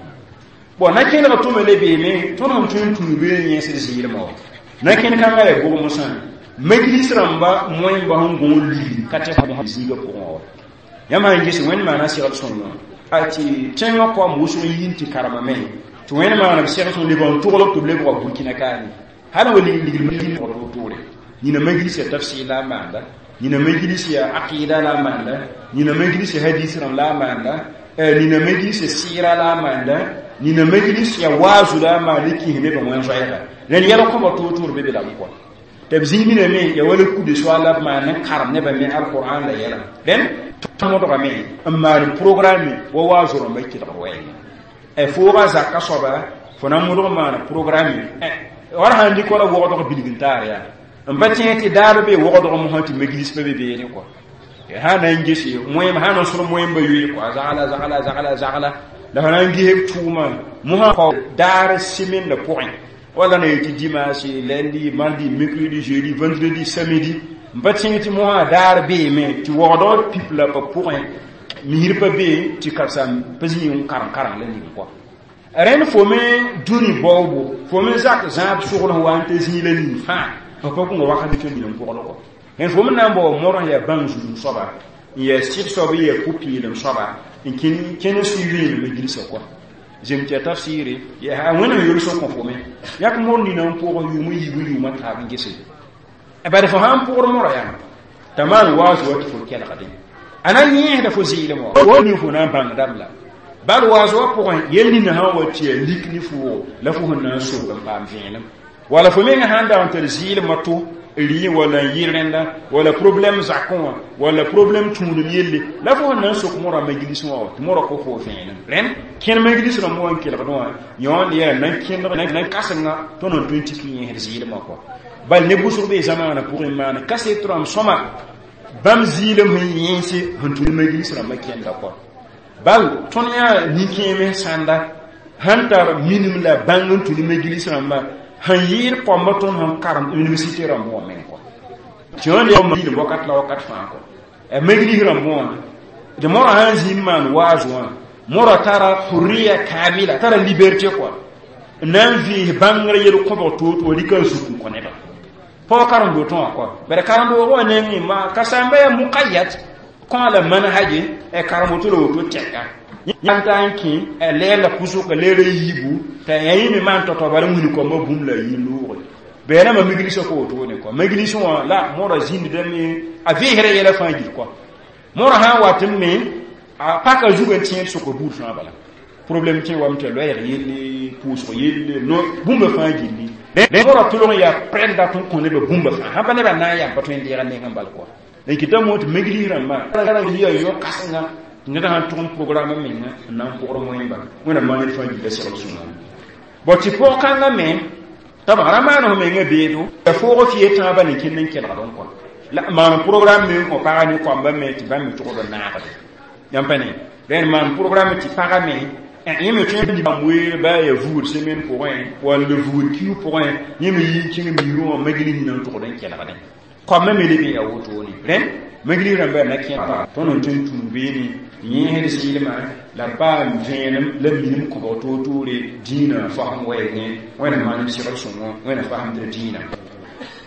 bon na kẽnega tʋme le beeme tõnd sẽn tõe n tũu bee n yẽesd zɩɩlmã wa na kẽn kãngã yaa bʋg mosã majlis rãmba moẽmba sẽn gõ n ligd ka tɩ zĩigã pʋgẽ wa yãmb sãn ges wẽnd maana segl sõngo a tɩ tẽngã koam wʋsg n yĩn tɩ karemame tɩ wẽnd maana b segl sõng leb n toglg tɩ b lebga burkina kaane hal wa ligl toore nina majlis ya tafsir la maanda nina majlis ya aqida la maanda nina majlis ya hadis ram la maanda nina majlis ya sira la maanda nina majlis ya wazu la maanda ki ne ba wen zoyra len yala ko ba totor be be la ko tɩ b zĩig me ya wala kude soaala b maan n karem nebã me alquran la yɛla rẽnd modgame n maan programme wa waazo rãmbã kelgd wɛɛngẽ fooga zaka soaba fo na n modg maan programme wala sãn dɩk wala wogdg bilg n taar yaa n pa tẽeg tɩ daar be wogdg mosã tɩ majlis pa be beene kɔa sã na n gese moẽm sã na n sõd moẽmba yoe kɔa zagla zagla zagla zagla la fa na n ges b tʋʋmã mosã kao daar semaine la pʋgẽ wala na yetɩ dimanche lundi mardi mercredi jeudi vendredi samedi N pa tẽeg tɩ mosã daar beeme tɩ waoogdg pip la pa pʋgẽ misr pa be tɩ karsam pa zĩ n karem kareng la ning kɔa. Rẽnd fo me dũni baoobo, fo me zak zãab sogl sẽn wa n ta zĩig la ning fãa, fo pa kõnga wakat tõe n n pʋgd kɔ. Rẽnd fo me na n bao modg yaa bãng zulum soaba, n yaa sɩd soab, n yaa pʋ-peelem soaba, n kẽn kẽn suivi me gilsa kɔa. Zem tɩ ya tafsɩɩre yaa Wẽnnaam yels n kõ fo me yak mod nina n pʋgẽ yʋʋm n yiib n yʋʋmã taab n gese. Bad fo sãn pʋgd modg yãmb t'a maan waaz wa tɩ fo kelgdẽ, a na yẽesda fo zɩɩlem wã wa ning fo na n bãng dãmb la bal waaz wã pʋgẽ yel ninã sã n wa tɩ yaa lik ne foogo la fo sẽn na n sok n paam vẽenem, wala fo mengã sãn dag n tar zɩɩlemã to rɩ wala n yɩ rẽnda wala problème zakẽ wã wala problème tũudem yelle la fo sẽn na n sok modã majlis wã tɩ modã kõ fo vẽenem. Rẽnd kẽn majlis rãmb wã n kelgd wã yõond yaa nan kẽndg nan kãsenga tõnd n tõe n tik yẽesd zɩɩlemã kɔa. Bal ne wʋsg bee zamaanã pʋgẽ maana kaset rãmb sõma bãmb zɩɩlem sẽn yẽese sẽn tũ majlis rãmbã kẽnda kɔa. Bal tõnd yaa nin-kẽeme sãnda sãn tar minim la bãng n tũ ne majlis rãmbã sẽn yɩɩd koamba tõnd sẽn karem université rãmb wã meng kɔa. Tɩ yõnd yaa milim wakat la wakat fãa kɔ. Majlis rãmb wã tɩ modã sãn zĩ n maan waaz wã, modã tara hurriya kamila, tara liberté kɔa, n na n vɩɩs bãngr yel-kõbg toor-toor rɩka n suk n kõ nebã. Paoog karen-dootẽ wã kɔa, bala karen-doogã wã nengẽ ma ka sãmba yaa muqayyad kõ la manhaje karem woto la woto tɛka yãn ta n kẽ leer la pʋsʋka leer a yiibu t'a yã me maan tao-tao bala n wilg koambã bũmb la a yɩ loogre. Bɩ rãmbã miglisã ka wotone kɔa. Majlis wã la modã zĩndame a vɩɩsra yɛla fãa gil kɔa. Modã sã n wat n me a paka zug n tẽed sokr buud fãa bala. Problème kẽ wame tɩ loɛɛg yelle, pʋʋsg yelle, no bũmba fãa gilli. Modã tʋlg n yaa prɛn dat n kõ nebã bũmba fãa sãn pa nebã na n yam pa tõe n deeg a nengẽ bal kɔa. N kɩta mo tɩ majlis rãmbã yaa yõ-kãsenga tɩ ned sãn tʋg n programme menga n na n pʋgd wẽmba. Wẽnnaam maan ned fãa gilla segl sõma. Bõ tɩ pʋg-kãngã me t'a b ra maan f menga beedo ya foog fɩ tãabã ne kẽnd n kelgd n kɔa. La maan programme me n kõ pagã ne koambã me tɩ bãmb me tʋgd n naagde. Yãmb pa ne rẽnd maan programme tɩ pagã me yẽ me tõe n weer ba ya vugd semaine pʋgẽ walla vugd kiu pʋgẽ, yẽ me yi n kẽng miirẽ wã majlis nina n tʋgd n kelgdẽ. Koambã me leb n yaa wotone. Rẽnd majlis rãmbã yaa na kẽ tõnd n tõe n tũu beene yẽesd sɩɩlmã la paam vẽenem la minim kõbg toor-toore dĩinã fasem wɛɛngẽ. Wẽnnaam maan d segl sõngo, Wẽnnaam fasemdr dĩinã.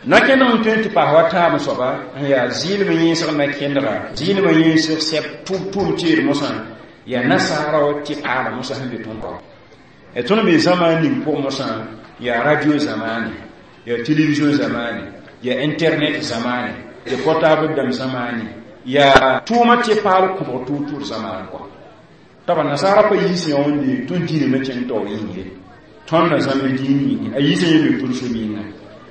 Na kẽndg n tõe n tɩ paas wa taam soaba n yaa zɩɩlem yẽesg na kẽndga zɩɩlemã yẽesg sɛb tʋʋm teed mosã yaa nasaara wa tɩ paala mosã sẽn be tõnd pa. Tõnd be zãmaan ning pʋg mosã yaa radio zamaane, yaa télévision zamaane, yaa internet zamaane, yaa portable dãmb zamaane, yaa tʋʋma tɩ paal kõbg toor-toor zamaan kɔa. T'a nasaara pa yiis yãonde tõnd dĩinã na kẽng taoor yĩng ye, tõnd na zãmb dĩin yĩnge a yiisã yẽ me tõnd so yĩnga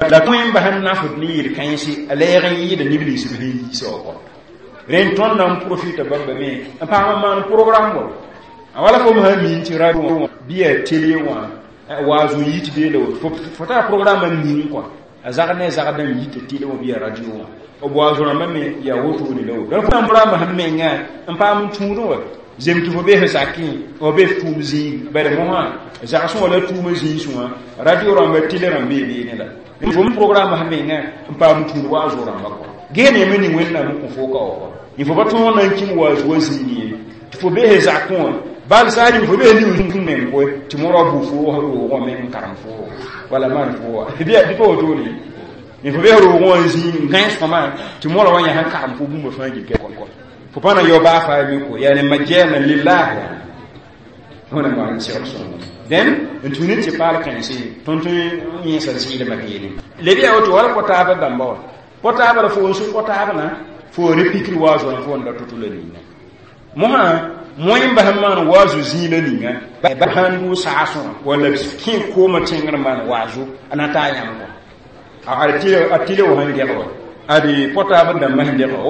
la tõe n bas n nafd ne yel-kãense a lɛɛg n yɩɩda neb nins b sẽn yiisa wã kɔa. Rẽnd tõnd na n profita bãmba me n paam n maan programme wã a wala fo sã min tɩ radio wã bɩ yaa télé wã waaz n yit bee la woto fo tara programme n ning kɔa, a zagd ne a zagdã n yita télé wã bɩ yaa radio wã b waaz rãmbã me yaa wotone la woto. Fo programme sẽn menga n paam n tũudẽ wa zem tɩ fo bee f zakẽ fo bee f tʋʋm zĩig bala mosã zagsẽ wã la tʋʋmã zĩis wã radio rãmba télé rãmb bee beene la fo programme sẽn menga n paam n tũud waaz rãmba kɔa. Geene me ning Wẽnnaam n kõ fo ka wa kɔa y fo pa tõog na n kĩm waaz wa zĩig ye tɩ fo bee zakẽ wã bal saa rĩm fo bee ning meng koe tɩ modã bʋ fo roogã me n karem fo wala maan fo wa bɩ pa wotone fo bee roogã wã n zĩig n gães fãma tɩ modã wã yã sẽn karem fo bũmba fãa gil kɔ fo pa na yao baa faa me ko yaa ne majana lillah wẽnnaam maan segl sõngo. Dẽn n tũ ne tɩ paal kãense tõnd tõe n yẽesa zɩɩlmã beene leb yaa woto wala kõ-taabã dãmba wã kõ-taabã la fo n sʋk kõ-taabã fo re pikr waaz wã fo n da to-to la ninga mosã moẽ bas n maan waazu zĩig la ninga ba sãn dʋ saasẽ walla kẽ koomã tẽngr n maan waazu a na taa yãmb kɔ a tɩle wã sẽn gɛg wa ade portable dãmbã sẽn dɛg wa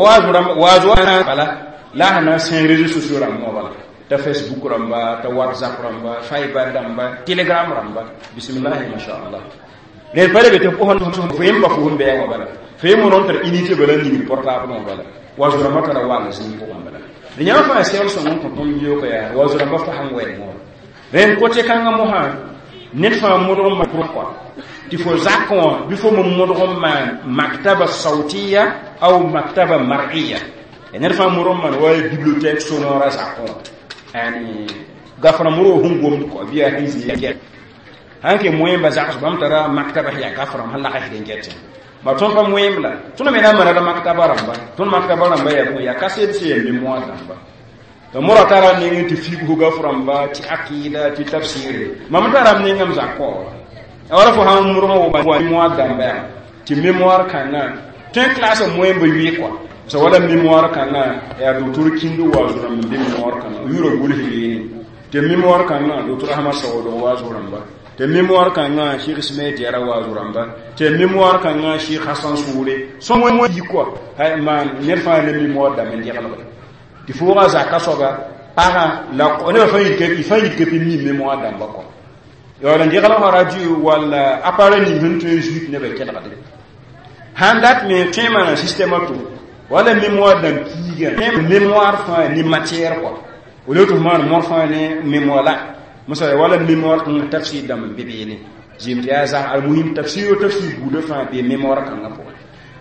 waaz wã bala la a sẽn na n sẽng réseaux sociaux rãmb wã bala ta Facebook rãmba, ta WhatsApp rãmba, Fiber rãmba, Telegram rãmba, bismillahi mashallah. Rẽd pa le be tɩ fo fo yem pa fo sẽn bɛɛg wã bala fo yem rõn tar unité bala n ningd portable wã bala waaz rãmbã tara wang zĩig pʋgẽ bala d yãmb fãa segl sõng n kõ tõnd yoka yaa waaz rãmbã fasem wɛɛngẽ wã. Rẽnd kote kãngã mosã ned fãa modg n maan kɔa tɩ fo zakẽ wã bɩ fo me modg n maan maktaba sautiya أو مكتبة مرئية يعني نرفع مرمان ولا bibliothèque sonore zakon يعني gafra muro hungom ko biya hinzi hanke moyen ba zaks bam tara maktaba ya gafra hal la khiden gete ma ton pa moyen la tuna mena mara da maktaba ramba ton maktaba ramba ya ya kaset se mémoire ramba to mura tara ni ngi ti figu gafra ramba ti aqida ti tafsir ma mutara ni ngam zakko awara fo ham muro wo ba mémoire damba ti mémoire kanga ten classe moyen ba wi quoi so wala mémoire kanga ya docteur Kindo wa zura min mémoire kanga yuro gul hini te mémoire kanga docteur Ahmad Sawodo wa zura ba te mémoire kanga Cheikh Ismaïl Diarra wa zura ba te mémoire kanga Cheikh Hassan Soure so mo mo yi quoi hay man ner fa ne mémoire da men diala ti fo ga zaka soga para la on va faire que il faut que mi mémoire da ba quoi yo la diala radio wala appareil ni huntu juit ne be kelga de handat me tema système tout wala mémoire dan kiiga mémoire fa ni matière quoi au lieu de man mor fa ne mémoire la musa wala mémoire kan tafsir dam bibini jim ya za al muhim tafsir tafsir buda fa be mémoire kan ngapo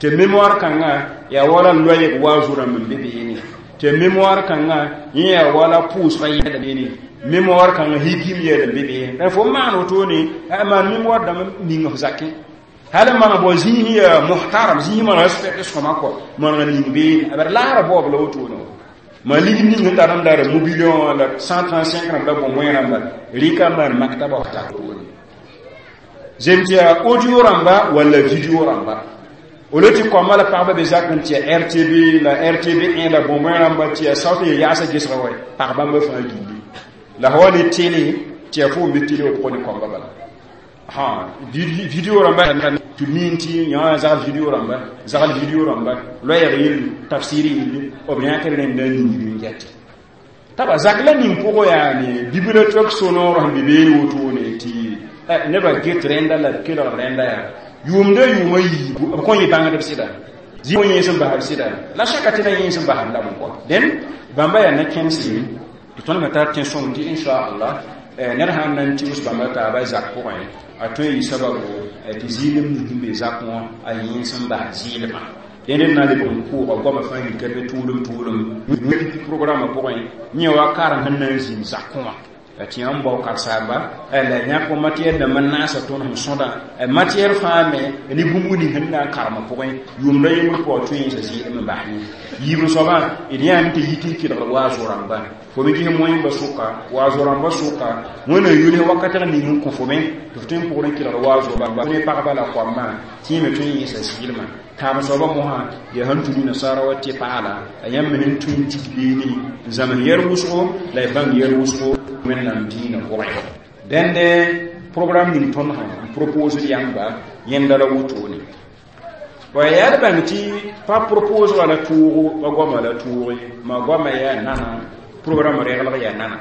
te mémoire kan nga ya wala loye wazura min bibini te mémoire kan nga ya wala pousse fa yeda bini mémoire kan higim yeda bibini da fo man to ni ma mémoire dam ni nga zakki hala mana bo zihi muhtaram zihi mana respect so mako mana ni be abar la bo lo to no ma ligi ni ngata ram dara mobilion la cent trente-cinq ram la bo moyen ram rika man maktaba ta to ni zemtia audio ramba wala video ramba oloti ko mala parba be zakon tia R T B la R T B un la bo moyen ramba tia sauti ya sa gisra way parba me fa gindi la hawali télé tia fo be télé o ko ni ko bala ha video ramba tu minti ya za video ramba za video ramba lo ya yil tafsiri yil o bien kere ne ni ni ngati taba zakla ni poko ya ni bibliothèque sonore bi be woto ne ti ne ba get renda la kilo renda ya yumde yuma yi ko yi banga de sida zi ko yin ba sida la shaka tina yin ba la mo ko den bamba ya na kensi to ton mata tension di insha Allah ner han nan ti us bamba ta ba zak ko a to yi sababu ti zilim ni be zak mo a yin san ba zilima den na le bon ko ko ma fa yi ke be tulum tulum ni programme ko ni wa karan han nan zin zak ko ti an bo kar saba la nya ko matière de manasa ton han sonda matière fame ni bumbu ni han na karma ko yum da yum ko to yin sa zilima ba ni yibru soba idiya mi te yiti ki da wa zoramba fo mi gi moyen ba suka wa zoramba suka wona yule wakati ni mun ko fo men to tin pour ki da wa zoramba ne pa ba la ko ma ti me tun yin sa zilima ta ma soba mo ha ya hantu ni nasara wa ti paala ayam min tun ti ni zaman yer wuso la bang yer wuso men nam dina ko dende programme ni ton ha propose yamba yenda la wuto ni wa ya ban ti pa propose wala touro wa goma la touro ma goma ya nana programme regla ya nana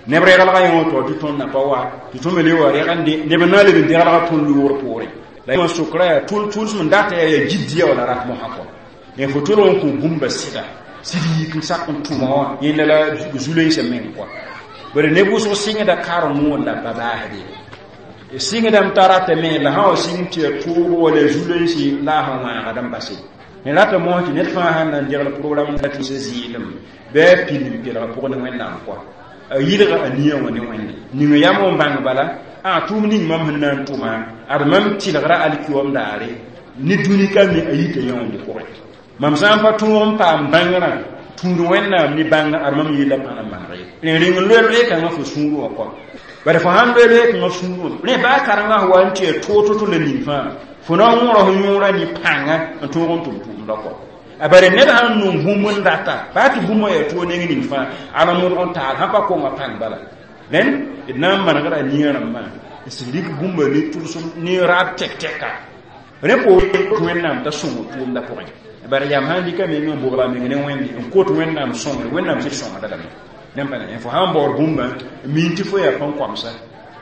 ne regla ya to ti ton na pa wa ti to mele wa regande ne ba na le de regla ton luor pore la ma sukra ya tul tul mun data ya jiddiya wala rat mo hakko ne fo tolon ko bumba sida sidi kin sakon tuma yenda la zulay se men quoi bare ne bu so singa da karo mo la baba hade e singa dam tarata me la ha sing ti touro wala zulay si la ha ma ga dam basi ne rata mo ti net fa han nan dirla programme da ti zilim be pil pil ra pour ne wenna quoi yidra aniya woni wonni ni no yamo bang bala a tum ni mam nan tuma ar mam tilgra alkiwam daare ni duni kan ni ayita yonde ko mam sam pa tum pa bangra tundu wenna ni bang ar mam yila pana mangre ne ring lwe kan fo suru ko bare fo han lwe kan suru ne ba karanga wanti to to to le ni fa fo na ngoro nyura ni panga to gon tum tum da ko abare ne da han num humun data ba ti bumo ya to ne ni fa ala mun on ta ha pa ko ma pang bala len idna man gara ni ran ma sidik bumba ni tursum ni rab tek teka repo to wenna da sumu tum da ko bare yam handi kam mi bogla mi ne wendi en ko to wennam somre wennam sir somre da dam nem pa ne fo han bor bumba min ti fo ya pon komsa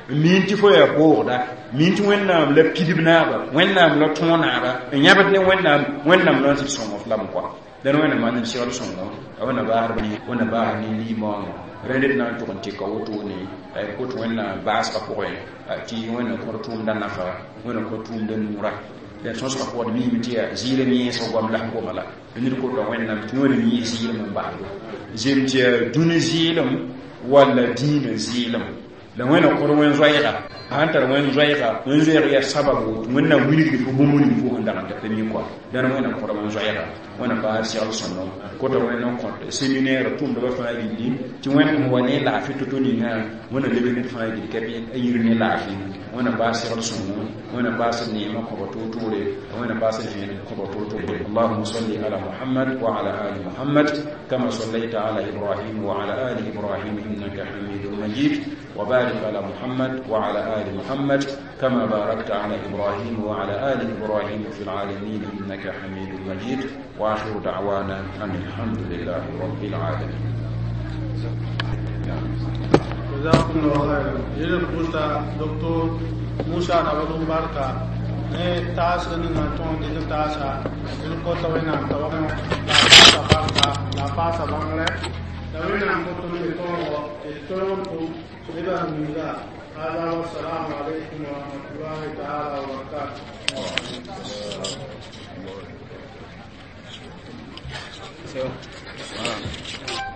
min ti fo ya borda min ti wennam la pidibna ba wennam la tona ba nyabat ne wennam wennam non sir somre lam ko den wennam man sir somre wana ba har ni wana ba har ni li mo rendet na to kon ti ka woto ni ay ko to wenna baas ka ko ti wenna ko tum dan nafa wenna ko tum dan nura La sõsgã pʋgd miime tɩ yaa zɩɩlem yẽesg goam la sẽn goma la ned kota Wẽnnaam tɩ Wẽnnaam yɩ zɩɩlem n basdo zem tɩ yaa dũni zɩɩlem walla dĩinã zɩɩlem la Wẽnna kõd wẽn-zoɛɛga sãn tar wẽn-zoɛɛga wẽn-zoɛɛg yaa sabab woto Wẽnnaam wilgd fo bũmb ning fo sẽn dag n dat mi kɔa dãn Wẽnnaam kõda wẽn-zoɛɛga Wẽnnaam baas segl sõndo kota Wẽnnaam kõt séminaire tʋʋmdbã fãa gilli tɩ Wẽnd sẽn wa ne laafɩ to-to ninga Wẽnnaam lebg ned fãa gil ka bɩ a yir ne laafɩ. Wẽnnaam baas segl sõngo, Wẽnnaam baas neemã kõba toor-toore, Wẽnnaam baas vẽenem kõba toor-toore. اللهم صل على محمد وعلى آل محمد كما صليت على إبراهيم وعلى آل إبراهيم إنك حميد مجيد، وبارك على محمد وعلى آل محمد كما باركت على إبراهيم وعلى آل إبراهيم في العالمين إنك حميد مجيد. وآخر دعوانا أن الحمد لله رب العالمين. جزاكم الله خيرا. Yel puta docteur Musa Nabadum barka ne taasg ninga tõog dɩk taasa d kota Wẽnnaam t'a la paasa barka la paasa bãngrɛ la Wẽnnaam kõ tõnd me tõogo tɩ d tõog n tʋm nebã miiga. هذا والسلام عليكم ورحمة الله تعالى وبركاته. So, wow.